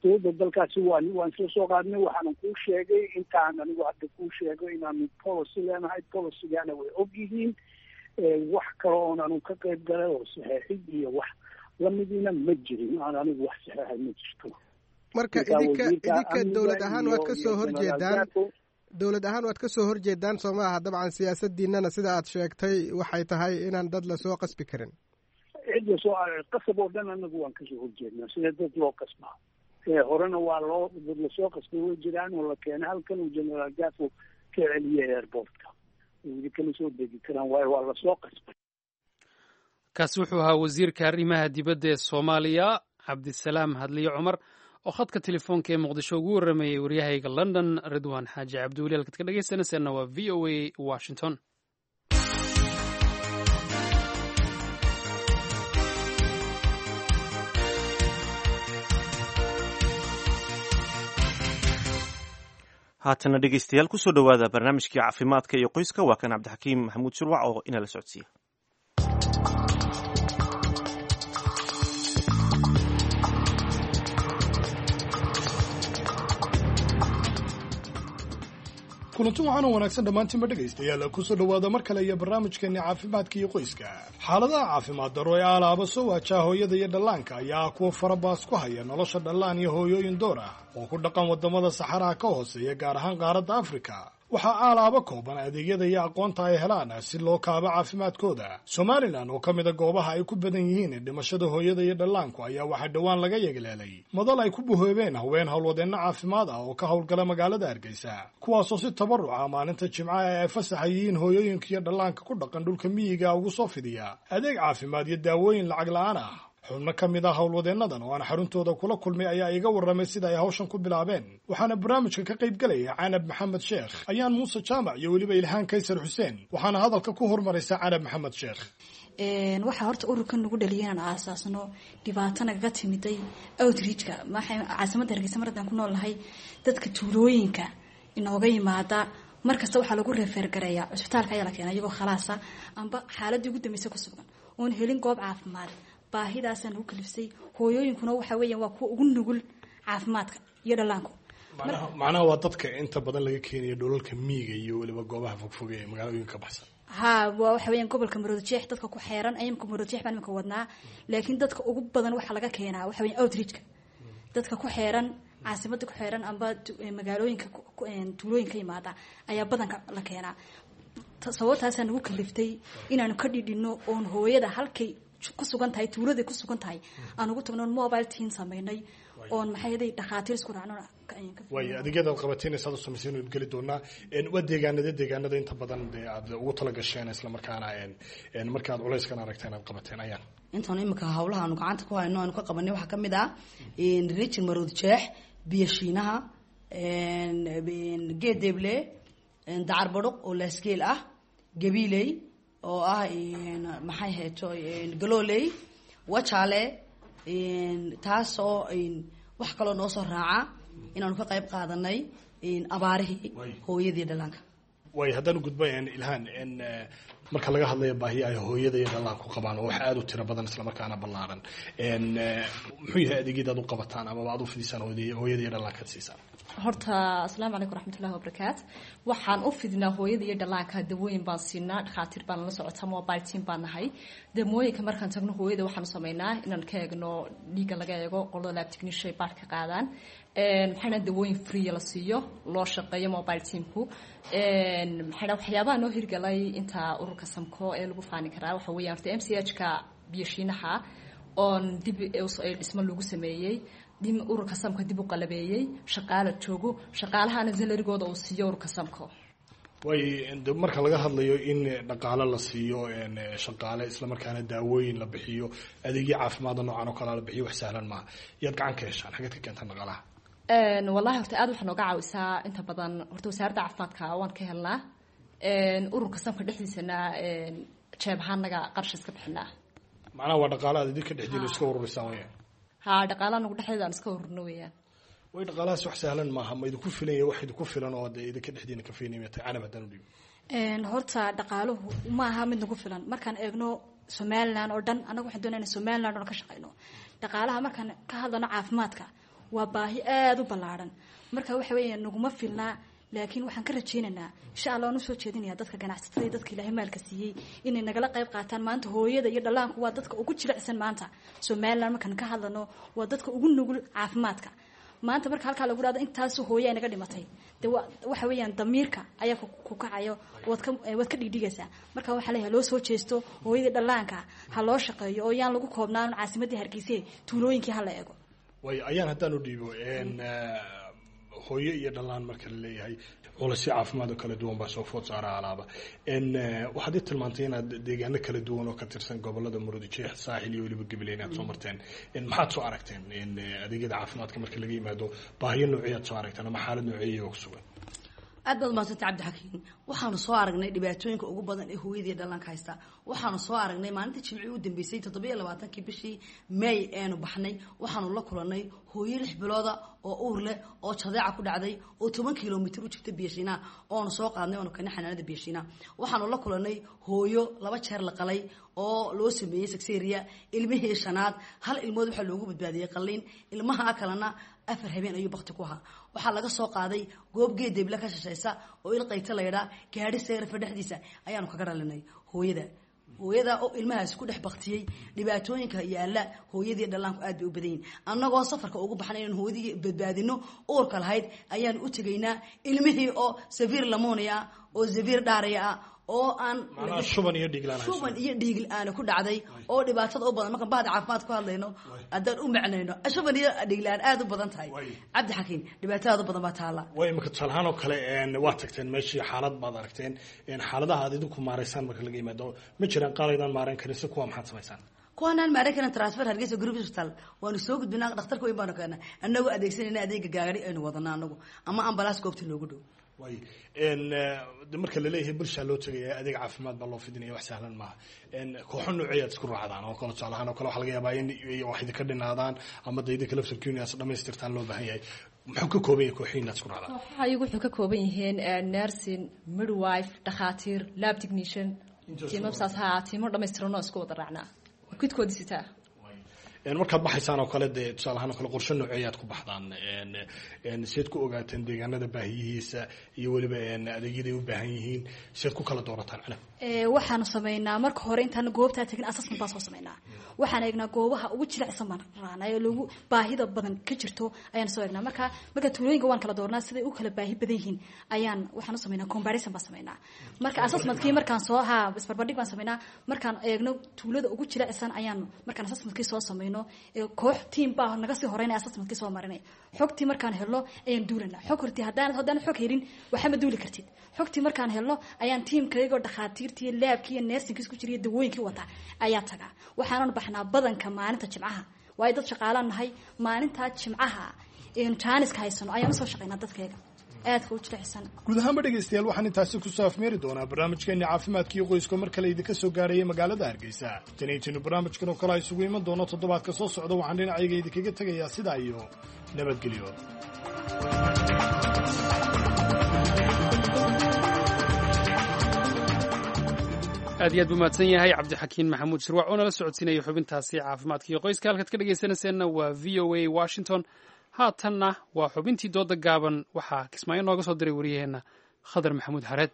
Dowladda dalkaasi waan waan isla soo qaadnay. Waxaanan kuu sheegay intaan anigu hadda kuu sheego inaanu policy leenahay, policygaana way og yihiin. Wax kale oon anu ka qayb galay oo saxeexid iyo wax lamidiina ma jirin, aan anigu wax saxeexay ma jirto. Marka idinka idinka dowlad ahaan waad ka soo horjeedaan, dowlad ahaan waad ka soo horjeedaan soo maaha? Dabcan siyaasadiinana sida aad sheegtay waxay tahay inaan dad lasoo qasbi karin. Cid lasoo qasab oo dhan anagu waan kasoo horjeednaa, sida dad loo qasbaa horena waa loo dad lasoo qasbay way jiraan oo la keenay halkan uu Generaal Gafo ka celiyay airportka, weli kama soo degi karaan waayo waa lasoo qasbay. Kaasi wuxuu ahaa wasiirka arrimaha dibadda ee Soomaaliya Cabdisalaam Hadliye Cumar oo khadka telefoonka ee Muqdisho ugu warramayay waryahayga London Ridwan Xaaji Cabdiweli. Halkaad ka dhegeysanaysaanna waa V O A Washington. Haatana dhegeystayaal, kusoo dhowaada barnaamijkii caafimaadka iyo qoyska. Waa kan Cabdixakiim Maxamuud Shirwac oo inala socodsiiya. Kulanti waxaana wanaagsan dhammaantiinba dhegaystayaal, kusoo dhowaada mar kale iyo barnaamijkeenni caafimaadka iyo qoyska. Xaaladaha caafimaad darro ee alaaba soo waajaa hooyada iyo dhallaanka ayaa kuwa farabaas ku haya nolosha dhallaan iyo hooyooyin door ah oo ku dhaqan waddamada saxaraha ka hooseeya, gaar ahaan qaaradda Afrika. Waxaa aalaaba kooban adeegyada iyo aqoonta ay helaan si loo kaabo caafimaadkooda. Somalilan oo ka mida goobaha ay ku badan yihiin dhimashada hooyada iyo dhallaanku ayaa waxaa dhowaan laga yeegleelay madal ay ku buhoobeen haween howlwadeenno caafimaad ah oo ka howlgala magaalada Hargeysa, kuwaasoo si tabaruca maalinta Jimcaha ee ay fasaxa yihiin hooyooyinka iyo dhallaanka ku dhaqan dhulka miyiga ugu soo fidiya adeeg caafimaad iyo daawooyin lacag la'aan ah. Xubno ka mid ah howlwadeennadan oo aan xaruntooda kula kulmay ayaa iga warramay sida ay hawshan ku bilaabeen, waxaana barnaamijka ka qayb gelaya Canab Maxamed Sheekh, Ayaan Muuse Jaamac iyo weliba Ilhaan Kaysar Xuseen. Waxaana hadalka ku hormaraysa Canab Maxamed Sheekh. Waxaa horta ururkan nagu dhaliyay inaan aasaasno dhibaato nagaga timiday outreachka caasimadda Hargeysa. Mar haddaan ku nool nahay, dadka tuulooyinka inooga yimaada markasta waxaa lagu refer gareeyaa cusbitaalka ayaa la keena iyagoo khalaasa amba xaaladii ugu dambeysay ku sugan oon helin goob caafimaad. Baahidaasaa nagu kalifsay. Hooyooyinkuna waxa weeyaan waa kuwa ugu nugul caafimaadka iyo dhallaanku. Macnaha waa dadka inta badan laga keenayo dhulalka miyiga iyo weliba goobaha fogfog ee magaalooyinka ka baxsan. Ha, waa waxa weeyaan gobolka Maroodijeex dadka ku xeeran. Imika Maroodijeex baan imika wadnaa, laakiin dadka ugu badan waxaa laga keenaa waxa weeyaan outreachka, dadka ku xeeran caasimadda ku xeeran amba magaalooyinka tuulooyinka yimaada ayaa badanka la keenaa. Sababtaasaa nagu kaliftay inaanu ka dhidhino oon hooyada halkay ku sugan tahay, tuuladay ku sugan tahay, aan ugu tagno, mobile team samaynay oon maxay haday dhakhaatiir isku raacno. Waay, adeegyada aad qabateen saad u samayseen waynu geli doonaa. Waa deegaanada deegaanada inta badan dee aad ugu tala gasheen islamarkaana marka aad culayskan aragteen aad qabateen, Ayaan? Intaan imika hawlaha aanu gacanta ku hayno aanu ka qabanay waxaa kamid ah region Marood Jeex, Biyo Shiinaha, Geedeeble, Dacar Badhuq oo Laasgeel ah, Gabiiley oo ah maxay hayto Galooley, Wajaale, taasoo wax kaloo noo soo raaca inaanu ka qayb qaadanay abaarihii hooyadii dhallaanka. Way, haddaan gudba Ilhaan, marka laga hadlayo baahiya ay hooyada iyo dhallaanku qabaan oo wax aada u tiro badan islamarkaana ballaaran, muxuu yahay adeegyada aad u qabataan amaba aad u fidisaan hooyada iyo dhallaanka ad siisaan? Horta asalaamu calaykum raxmatullahi wabarakaat. Waxaan u fidnaa hooyada iyo dhallaanka dawooyin baan siinaa, dhakhaatiir baan la socota, mobile team baan nahay. Dawooyinka markaan tagno hooyada waxaanu sameynaa inaan ka eegno dhiigga, laga eego qolada lab technician baar ka qaadaan, maxayna dawooyin free la siiyo, loo shaqeeyo mobile teamku. Maxayna waxyaabaha noo hirgalay inta ururka Samko ee lagu faani karaa waxa weeyaan horta M C H ka Biyashiinaha oon dib dhismo lagu sameeyey, ururka Samka dib u qalabeeyey, shaqaala joogo, shaqaalahana salarigooda uu siiyo ururka Samko. Way, marka laga hadlayo in dhaqaale la siiyo shaqaale islamarkaana daawooyin la bixiyo, adeegyo caafimaada noocan oo kalea la bixiyo, wax sahlan maaha. Yaad gacan ka heshaan? Xageed ka keentaan dhaqaalaha? Wallahi horta aad waxaa nooga caawisaa inta badan horta wasaaradda caafimaadka waan ka helnaa, ururka Samka dhexdiisana jeeb ahaan naga qarash iska bixinaa. Macnaha waa dhaqaale aad idinka dhexdiina iska ururisaan weyaan? Ha, dhaqaalaha nagu dhexdeeda aan iska ururno weeyaan. Way, dhaqaalahaas wax sahlan maaha. Ma idinku filan yahay? Wax idinku filan oo dee idinka dhexdiina ka fiinaya tay, Canab haddaan u dhiibo? Horta dhaqaaluhu ma aha mid nagu filan markaan eegno Somaliland oo dhan. Annagu waxaan doonayna Somaliland oo dhan ka shaqeyno. Dhaqaalaha markaan ka hadlano caafimaadka waa baahi aada u ballaaran, marka waxa weeyaan naguma filnaa, laakiin waxaan ka rajaynaynaa insha Allah waan usoo jeedinaya dadka ganacsatada iyo dadka Ilaahay maalka siiyey inay nagala qayb qaataan. Maanta hooyada iyo dhallaanku waa dadka ugu jilicsan maanta Somaliland markaan ka hadlano, waa dadka ugu nugul caafimaadka maanta. Marka halkaa lagu dhahdo intaasu hooye ay naga dhimatay, dee waxa weeyaan damiirka ayaa ku kacayo, waad ka waad ka dhigdhigaysaa. Marka waxaa leeyahay loo soo jeesto hooyadii dhallaanka, ha loo shaqeeyo oo yaan lagu koobnaan caasimaddii Hargeysa, tuulooyinkii ha la eego. Way, Ayaan haddaan u dhiibo, hooyo iyo dhallaan marka la leeyahay culasyo caafimaad oo kala duwan baa soo food saara alaaba. Waxaad ii tilmaantay inaad deegaano kala duwan oo ka tirsan gobolada Murudijeex, Saaxil iyo weliba Gabiley inaad soo marteen. Maxaad soo aragteen adeegyada caafimaadka marka laga yimaado? Baahiyo noocyaad soo aragteen ama xaalad nooceeya oo ku sugan? Aad baad umahadsantay Cabdixakiin. Waxaanu soo aragnay dhibaatooyinka ugu badan ee hooyadii dhallaanka haysta. Waxaanu soo aragnay maalintii jimcii u dambeysay, toddobiyo labaatankii bishii May eenu baxnay, waxaanu la kulannay hooyo lix bilooda oo uur leh oo jadeeca ku dhacday oo toban kilomitir u jirta Biyashiinaha, oonu soo qaadnay oonu keenay xanaanada Biyashiinaha. Waxaanu la kulannay hooyo laba jeer la qalay oo loo sameeyey sexeria, ilmihii shanaad hal ilmood waxaa loogu badbaadiyey qalliin, ilmaha kalena afar habeen ayuu bakti ku ahaa. Waxaa laga soo qaaday goob geedeebla ka shashaysa oo ilqayta laydhaa, gaadhi seerafa dhexdiisa ayaanu kaga dhalinay hooyada hooyada oo ilmahaasi ku dhex baktiyey. Dhibaatooyinka yaala hooyadii dhallaanku aad bay u badan yihin. Annagoo safarka ugu baxnay inaan hooyadii badbaadino uurka lahayd ayaan u tegaynaa ilmihii oo safiir lamonia ah oo safiir dhaaraya ah oo aan Macnaha shuban iyo dhiig la'aan hayso. Shuban iyo dhiig la'aan ku dhacday oo dhibaatada u badan markaan bahda caafimaad ku hadlayno haddaan u macnayno shuban iyo dhiig la'aan aad u badan tahay, Cabdixakiin, dhibaatada aad u badan baa taala. Way imika tusaale ahaan oo kale een, waa tagteen meeshii, xaalad baad aragteen, een, xaaladaha aad idinku maaraysaan marka laga yimaado, ma jiraan qaar aydaan maareyn karin? Si kuwa maxaad samaysaan? Kuwaanaan maareyn karin transfer Hargeysa Group Hospital waanu soo gudbinaa, dhakhtarka weyn baanu keenaa annagoo adeegsanayna adeega gaari aynu wadanaa anagu ama ambalaas goobta noogu dhow. Way een, eh, de marka laleeyahay bulshaa loo tegaya, adeeg caafimaad baa loo fidinaya, wax sahlan maaha. Een, kooxo nooceeyaad isku raacdaan oo kale? Tusaale ahaan oo kale waxaa laga yaabaa in wax idinka dhinaadaan ama de idinka laftarkiinu inaad dhamaystirtaan loo baahan yahay. Muxuu ka kooban yahay kooxihiin inaad isku raacdaan? Kooxaha iyagu wuxuu ka kooban yihiin eh, nursing, midwife, dhakhaatiir, lab technician, tiimo saas haa, tiimo dhammaystiran oo isku wada raacnaa kidkoodii sitaa. Een, markaad baxaysaan oo kale dee tusaale ahaan oo kale qorshe nooceeyaad ku baxdaan? Een, een, seed ku ogaateen deegaanada baahiyihiisa iyo weliba een, adeegyaday u baahan yihiin? Seed ku kala doorataan, Canab? Ee, waxaanu sameynaa marka hore intaan goobtaa tagin assessment baan soo sameynaa. Waxaan eegnaa goobaha ugu jilicsan baan raacnaa ee lagu baahida badan ka jirto ayaan soo eegnaa. Marka marka tuulooyinka waan kala doornaa siday u kala baahi badan yihiin ayaan waxaan u sameynaa comparison baan sameynaa. Marka assessmentkii markaan soo haa isbarbardhig baan sameynaa. Markaan eegno tuulada ugu jilicsan ayaan markaan assessmentkii soo sameyno ee koox team baa naga sii horeynaya assessmentkii soo marinaya. Xogtii markaan helno ayaan duulanaa. Xog hortii haddaan haddaan xog helin waxba ma duuli kartid. Xogtii markaan helno ayaan tiimkaygoo dhakhaatiirtii, laabkii iyo nursingkii isku jiriyo dawooyinkii wata ayaa tagaa. Waxaanan baxnaa badanka maalinta jimcaha, waayo dad shaqaalaan nahay. Maalintaa jimcaha eenu jaaniska haysano ayaan usoo shaqaynaa dadkayga aadka u jilicsan. Guud ahaanba dhegaystayaal, waxaan intaasi kusoo afmeeri doonaa barnaamijkeenni caafimaadka iyo qoyska mar kale idinka soo gaarayay magaalada Hargeysa. Tan iyo tinu barnaamijkan oo kale a isugu iman doono toddobaadka soo socda, waxaan dhinacayga idinkaga tegayaa sidaa iyo nabadgelyo. Aad iyo aad buu mahadsan yahay Cabdixakiin Maxamuud Shirwac oo nala socodsiinaya xubintaasi caafimaadka iyo qoyska. Halkaad ka dhegaysanayseena waa V O A Washington. Haatanna waa xubintii dooda gaaban. Waxaa Kismaayo nooga soo diray wariyaheenna Khadar Maxamuud Xareed.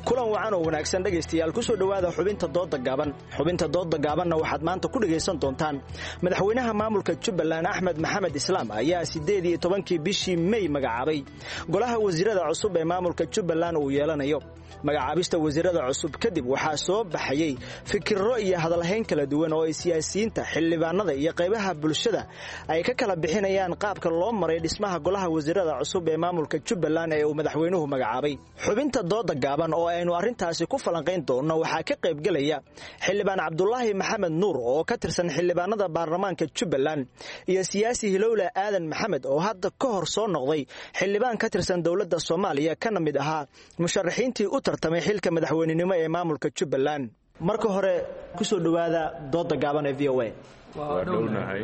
Kulan wacan oo wanaagsan dhegaystayaal, kusoo dhowaada xubinta dooda gaaban. Xubinta dooda gaabanna waxaad maanta ku dhegaysan doontaan madaxweynaha maamulka Jubbaland Axmed Maxamed Islaam ayaa siddeed iyo tobankii bishii Mey magacaabay golaha wasiirada cusub ee maamulka Jubbaland uu yeelanayo. Magacaabista wasiirada cusub kadib waxaa soo baxayey fikirro iyo hadalhayn kala duwan oo ay siyaasiyiinta, xildhibaanada iyo qaybaha bulshada ay ka kala bixinayaan qaabka loo maray dhismaha golaha wasiirada cusub ee maamulka Jubbaland ee uu madaxweynuhu magacaabay. Xubinta dooda gaaban oo aynu arrintaasi ku falanqayn doonno waxaa ka qaybgelaya xildhibaan Cabdulaahi Maxamed Nuur oo ka tirsan xildhibaanada baarlamaanka Jubbaland iyo siyaasi Hilowle Aadan Maxamed oo hadda ka hor soo noqday xildhibaan ka tirsan dowladda Soomaaliya kana mid ahaa musharaxiintii u tartamay xilka madaxweynenimo ee maamulka Jubbaland. Marka hore kusoo dhowaada dooda gaaban ee V O A. Waa dhownahay.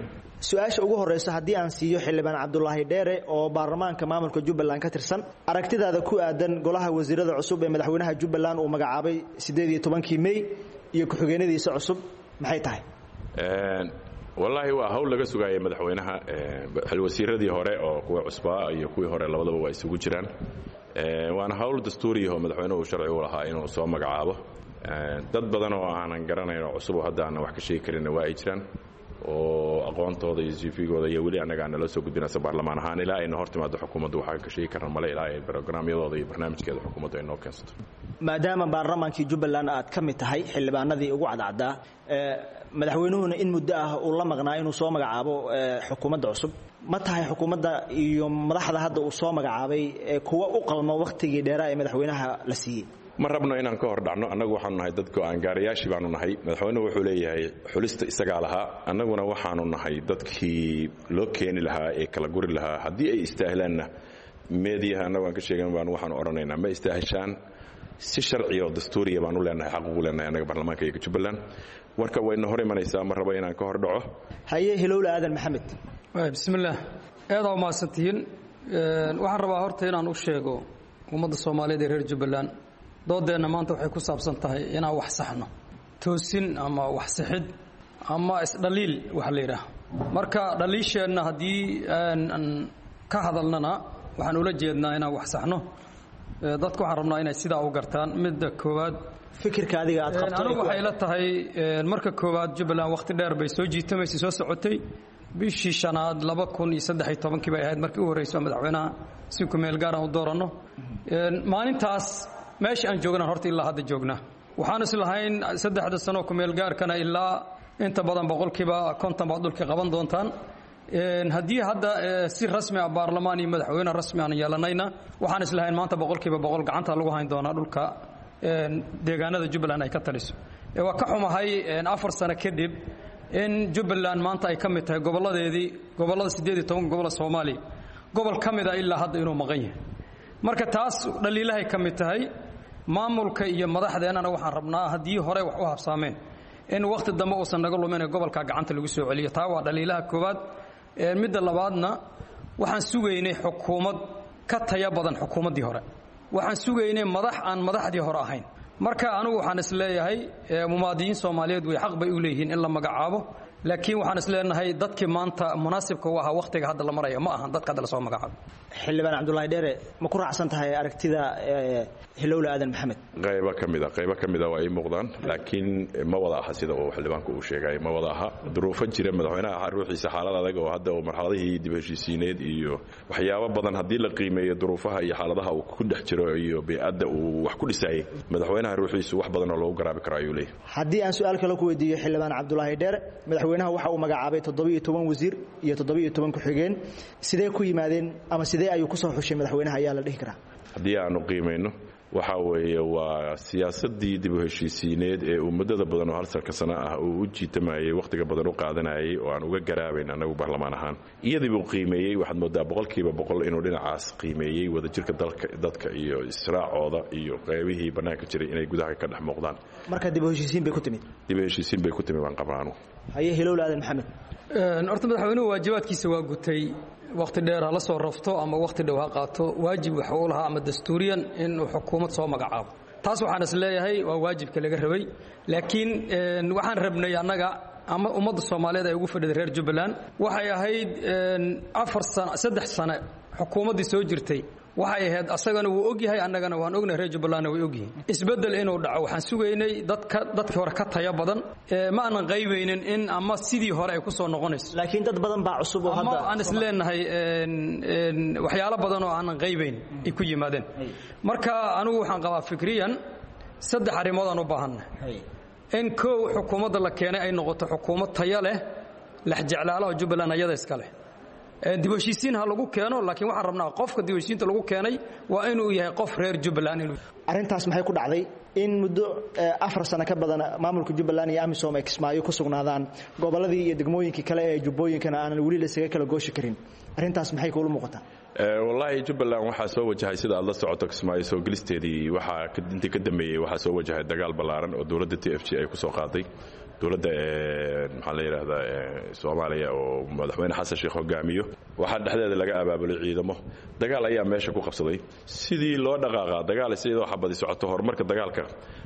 Su-aasha ugu horeysa haddii aan siiyo xildhibaan Cabdulaahi Dheere oo baarlamaanka maamulka Jubbaland ka tirsan, aragtidaada ku aadan golaha wasiirada cusub ee madaxweynaha Jubbaland uu magacaabay siddeed iyo tobankii Mey iyo ku-xigeenadiisa cusub maxay tahay? Wallaahi waa hawl laga sugaayay madaxweynaha. Wasiiradii hore oo kuwa cusbaa iyo kuwii hore labadaba waa isugu jiraan, waana hawl dastuuriyaho madaxweynuhu sharci u lahaa inuu soo magacaabo. Dad badan oo aanan garanayn oo cusub oo hadda aanan wax ka sheegi karinna waa ay jiraan oo aqoontooda iyo cvgooda iyo weli annaga aan nala soo gudbinaysa baarlamaan ahaan. Ilaa ayna hor timaado xukuumaddu waxaan ka sheegi karna male, ilaa ay brograamyadooda iyo barnaamijkeeda xukuumaddu ay noo keensato. Maadaama baarlamaankii Jubbaland aad ka mid tahay xildhibaanadii ugu cadcaddaa, madaxweynuhuna in muddo ah uu la maqnaa inuu soo magacaabo xukuumadda cusub, ma tahay xukuumadda iyo madaxda hadda uu soo magacaabay kuwa u qalmo wakhtigii dheeraa ee madaxweynaha la siiyey? Ma rabno inaan ka hor dhacno. Annagu waxaanu nahay dad go'aan gaarayaashii baanu nahay. Madaxweynuhu wuxuu leeyahay xulista isagaa lahaa, annaguna waxaanu nahay dadkii loo keeni lahaa ee kala guri lahaa. Haddii ay istaahilaanna meediyaha annagu aan ka sheegan baanu waxaanu odhanaynaa ma istaaheshaan, si sharciya oo dastuuriya baanu leenahay, xaq ugu leenahay annaga baarlamaanka iyaga Jubbaland. Warka wayna hor imanaysaa, ma rabo inaan ka hor dhaco. Haye, Hilowle Aadan Maxamed. Bismillaah, aad u mahadsantihiin. Waxaan rabaa horta inaan u sheego ummadda Soomaaliyeed ee reer Jubbaland, doodeenna maanta waxay ku saabsan tahay inaan wax saxno, toosin ama wax sixid ama isdhaliil waxa la yidhaah. Marka dhaliisheenna haddii aan ka hadalnana, waxaan ula jeednaa inaan wax saxno. Dadku waxaan rabnaa inay sidaa u gartaan. Midda koowaad, fikirka adiga aad qabto. Anigu waxay la tahay, marka koowaad, Jubbaland wakhti dheer bay soo jiitamaysay, soo socotay. Bishii shanaad laba kun iyo saddex iyo tobankii bay ahayd markii u horreysay madaxweynaha si ku meel gaar aan u dooranno. Maalintaas meesha aan joognaan horta ilaa hadda joognaa. Waxaan is lahayn saddexda sano ku meel gaarkana ilaa inta badan boqolkiiba konton baad dhulka qaban doontaan. Haddii hadda si rasmi ah baarlamaan iyo madaxweyne rasmi aan yeelanayna, waxaan is lahayn maanta boqolkiiba boqol gacanta lagu hayn doonaa dhulka deegaanada Jubbaland ay ka taliso. Waa ka xumahay afar sano kadib in Jubbaland maanta ay ka mid tahay gobolladeedii, gobollada siddeed iyo tobanka gobolla Soomaaliya, gobol ka mid a ilaa hadda inuu maqan yahay. Marka taas dhaliilahay ka mid tahay maamulka iyo madaxdeennana. Waxaan rabnaa haddii hore wax u habsaameen in wakhti dambe uusan naga lumin ee gobolka gacanta lagu soo celiyo. Taa waa dhaliilaha koowaad. Midda labaadna, waxaan sugaynay xukuumad ka taya badan xukuumaddii hore. Waxaan sugaynay madax aan madaxdii hore ahayn. Marka anigu waxaan is leeyahay muwaadiniin Soomaaliyeed way xaq bay u leeyihiin in la magacaabo, laakiin waxaan is leenahay dadkii maanta munaasibka u ahaa wakhtiga hadda la maraya ma ahan dadka hadda lasoo magacaabo. Xildhibaan Cabdulaahi Dheere, ma ku raacsan tahay aragtida Hilowle Aadan Maxamed? Qaybo ka mid a, qaybo ka mid a waa ii muuqdaan, laakiin ma wada aha sida uu xildhibaanku uu sheegay, ma wada aha. Duruufo jira madaxweynaha ruuxiisa, xaalad adag oo hadda uu marxaladihii dib heshiisiineed iyo waxyaabo badan haddii la qiimeeyo, duruufaha iyo xaaladaha uu ku dhex jiro iyo bey'adda uu wax ku dhisayay, madaxweynaha ruuxiisu wax badan oo loogu garaabi karo ayuu leeyahay. Haddii aan su-aal kale ku weydiiyo xildhibaan Cabdulaahi Dheere, madaxweynaha waxa uu magacaabay toddobiyo toban wasiir iyo toddobiyo toban ku-xigeen. Sidee ku yimaadeen ama sidee ayuu ku soo xushay madaxweynaha ayaa la dhihi karaa? Haddii aanu qiimayno, waxa weeye waa siyaasaddii dib u heshiisiineed ee uu muddada badan oo hal salka sano ah uu u jiitamayey, wakhtiga badan u qaadanayay oo aan uga garaabayn annagu baarlamaan ahaan. Iyadii buu qiimeeyey. Waxaad moodaa boqolkiiba boqol inuu dhinacaas qiimeeyey wadajirka dalka, dadka iyo israacooda iyo qaybihii bannaanka jiray inay gudaha ka dhex muuqdaan. Marka dib u heshiisiin bay ku timid? Dib u heshiisiin bay ku timid baan qabaa anugu. Haye, Hilowle Aadan Maxamed. Horta madaxweynuhu waajibaadkiisa waa gutay. Wakhti dheer ha la soo rafto ama wakhti dhow ha qaato, waajib waxa uu lahaa ama dastuuriyan inuu xukuumad soo magacaabo. Taas waxaan is leeyahay waa waajibka laga rabay, laakiin waxaan rabnay annaga ama ummadda Soomaaliyeed ay ugu fadhiday reer Jubbaland waxay ahayd afar sano, saddex sano xukuumaddii soo jirtay waxay ahayd, asagana wuu ogyahay, annagana waan ognahay, reer Jubbalandna way ogyihiin, isbeddel inuu dhaco. Waxaan sugaynay dadka dadkii hore ka taya badan. Ma aanan qaybaynin in ama sidii hore ay ku soo noqonayso, laakiin dad badan baa cusub oo hadda aan is leenahay waxyaalo badan oo aanan qaybayn ay ku yimaadeen. Marka anigu waxaan qabaa fikriyan saddex arrimood aan u baahannahay: in kow xukuumadda la keenay ay noqoto xukuumad taya leh, lexjeclaalaha Jubbaland ayada iska leh. Dib heshiisiin ha lagu keeno, laakiin waxaan rabnaa qofka dib heshiisiinta lagu keenay waa inuu yahay qof reer Jubbaland inuu. Arrintaas maxay ku dhacday in muddo afar sano ka badan maamulka Jubbaland iyo AMISOM ay Kismaayo ku sugnaadaan, gobolladii iyo degmooyinkii kale ee Jubbooyinkana aanan weli laysaga kala gooshi karin? Arrintaas maxay kuula muuqataa? Wallaahi Jubbaland waxaa soo wajahay, sida aad la socoto, Kismaayo soo gelisteedii waxaa intii ka dambeeyey waxaa soo wajahay dagaal ballaaran oo dowladda T F G ay ku soo qaaday dowladda, maxaa la yidhaahdaa, Soomaaliya oo madaxweyne Xasan Sheekh hogaamiyo. Waxaa dhexdeeda laga abaabulay ciidamo, dagaal ayaa meesha ku qabsaday. Sidii loo dhaqaaqaa dagaal sidoo xabadi socoto, horumarka dagaalka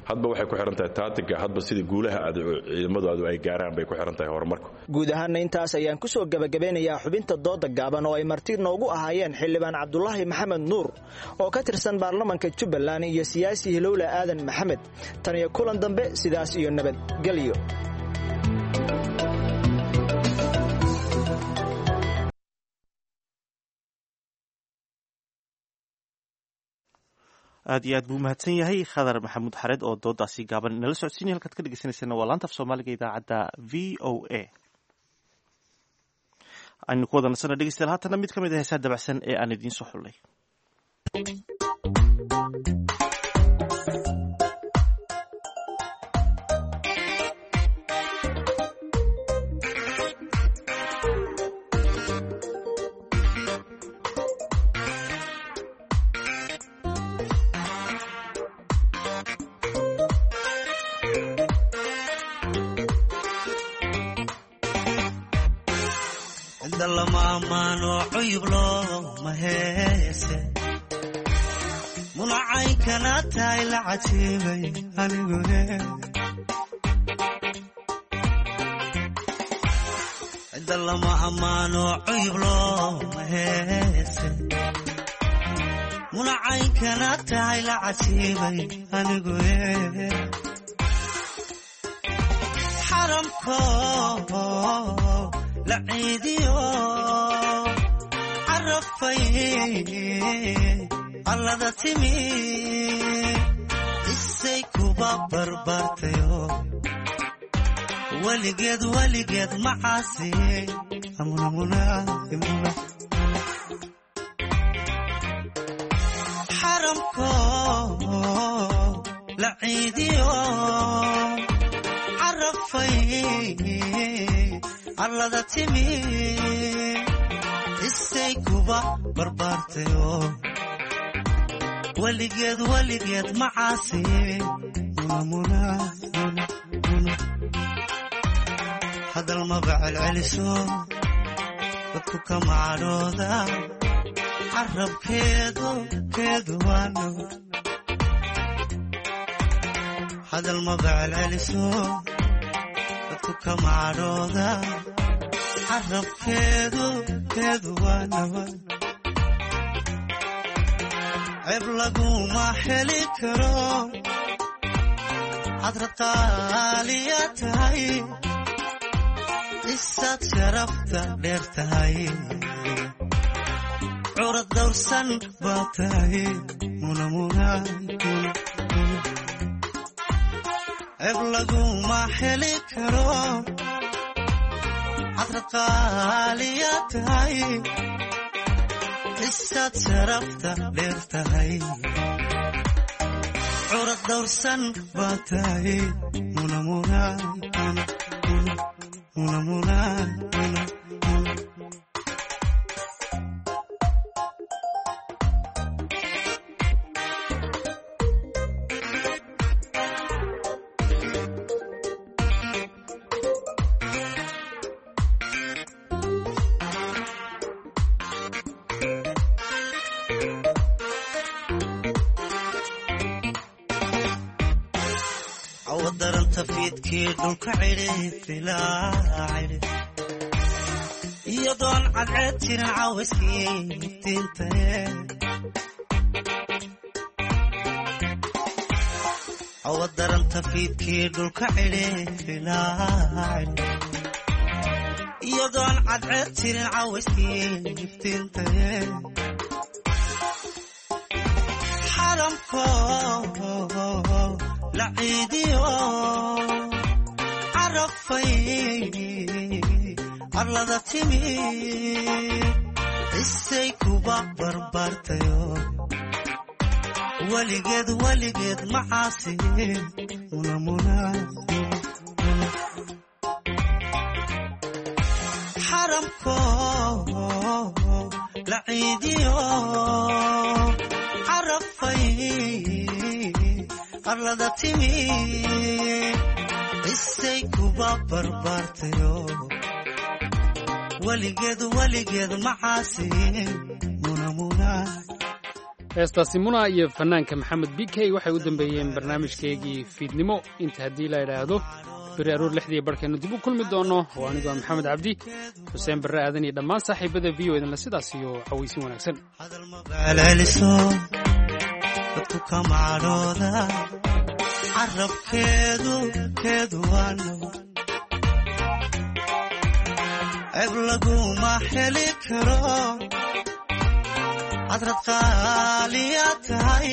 hadba waxay ku xiran tahay taatiga, hadba sidii guulaha aad ciidamadaadu ay gaaraan bay ku xiran tahay horumarku. Guud ahaanna intaas ayaan ku soo gabagabeynayaa xubinta dooda gaaban oo ay marti noogu ahaayeen xildhibaan Cabdulaahi Maxamed Nuur oo ka tirsan baarlamanka Jubbaland iyo siyaasi Hilowle Aadan Maxamed. Tan iyo kulan dambe, sidaas iyo nabadgelyo. Aad iyo aad buu mahadsan yahay Khadar Maxamuud Xareed oo doodaasi gaaban nala socodsiinaya. Halkaad ka dhegeysaneysana waa laanta af Soomaaliga idaacadda V O A. Aynu ku wada nasana dhegeystayaal haatana mid ka mid ah heesaha dabacsan ee aan idiin soo xullay. Cidda lama ammaano cuyub looma heese munacaynkana tahay la cajiibay anigune cidda lama ammaano cuyub looma heese munacaynkana tahay la cajiibay anigune xaramko la ciidiyo carafay allada timi isay kuba barbaartayo weligeed weligeed macaasi xaramko la ciidiyo carafay allada timi isay kuba barbaartayo weligeed weligeed macaasi hadal maba celceliso dadku kama cadhooda carabkeedu keedu waano hadal maba celceliso dadku kama cadhooda carabkeedu keedu waanawa ceeb laguma heli karo hadrad qaaliya tahay isaad sharafta dheer tahay curad dawrsan baa tahay ceeb laguma heli karo hadrad qaaliya tahay isaad sharafta dheer tahay curad dawrsan baa tahay awadaranta fiidkii dhulka cidhi iyadoon cadceed jirin cawayskii iftiintae awadaranta fiidkii dhulka cidhi iyadoon cadceed jirin cawayskii iftiintae xaramko la ciidiyo carafay arlada timi isay kuba barbaartayo weligeed weligeed macaasi xaramko la ciidiyo carafay arlada timi isay kuba barbaartayo weligeed weligeed macaasi Heestaasi Muna iyo fanaanka Maxamed B K waxay u dambeeyeen barnaamijkeygii fiidnimo. Inta haddii la idhaahdo beri aroor lixdii barhkeenu dib u kulmi doono. Oo anigu ah Maxamed Cabdi Xuseen Barre Aadan iyo dhammaan saaxiibada V O idinle sidaas iyo cawaysin wanaagsan. Celceliso dadku kama cadhooda carabkeedu keedu waano ceeb laguma heli karo hadrad qaaliya tahay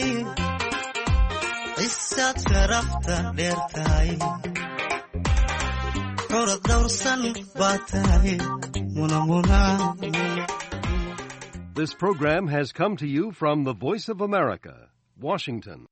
isaad sharafta dheer tahay curad dawrsan baa tahay This program has come to you from the Voice of America, Washington.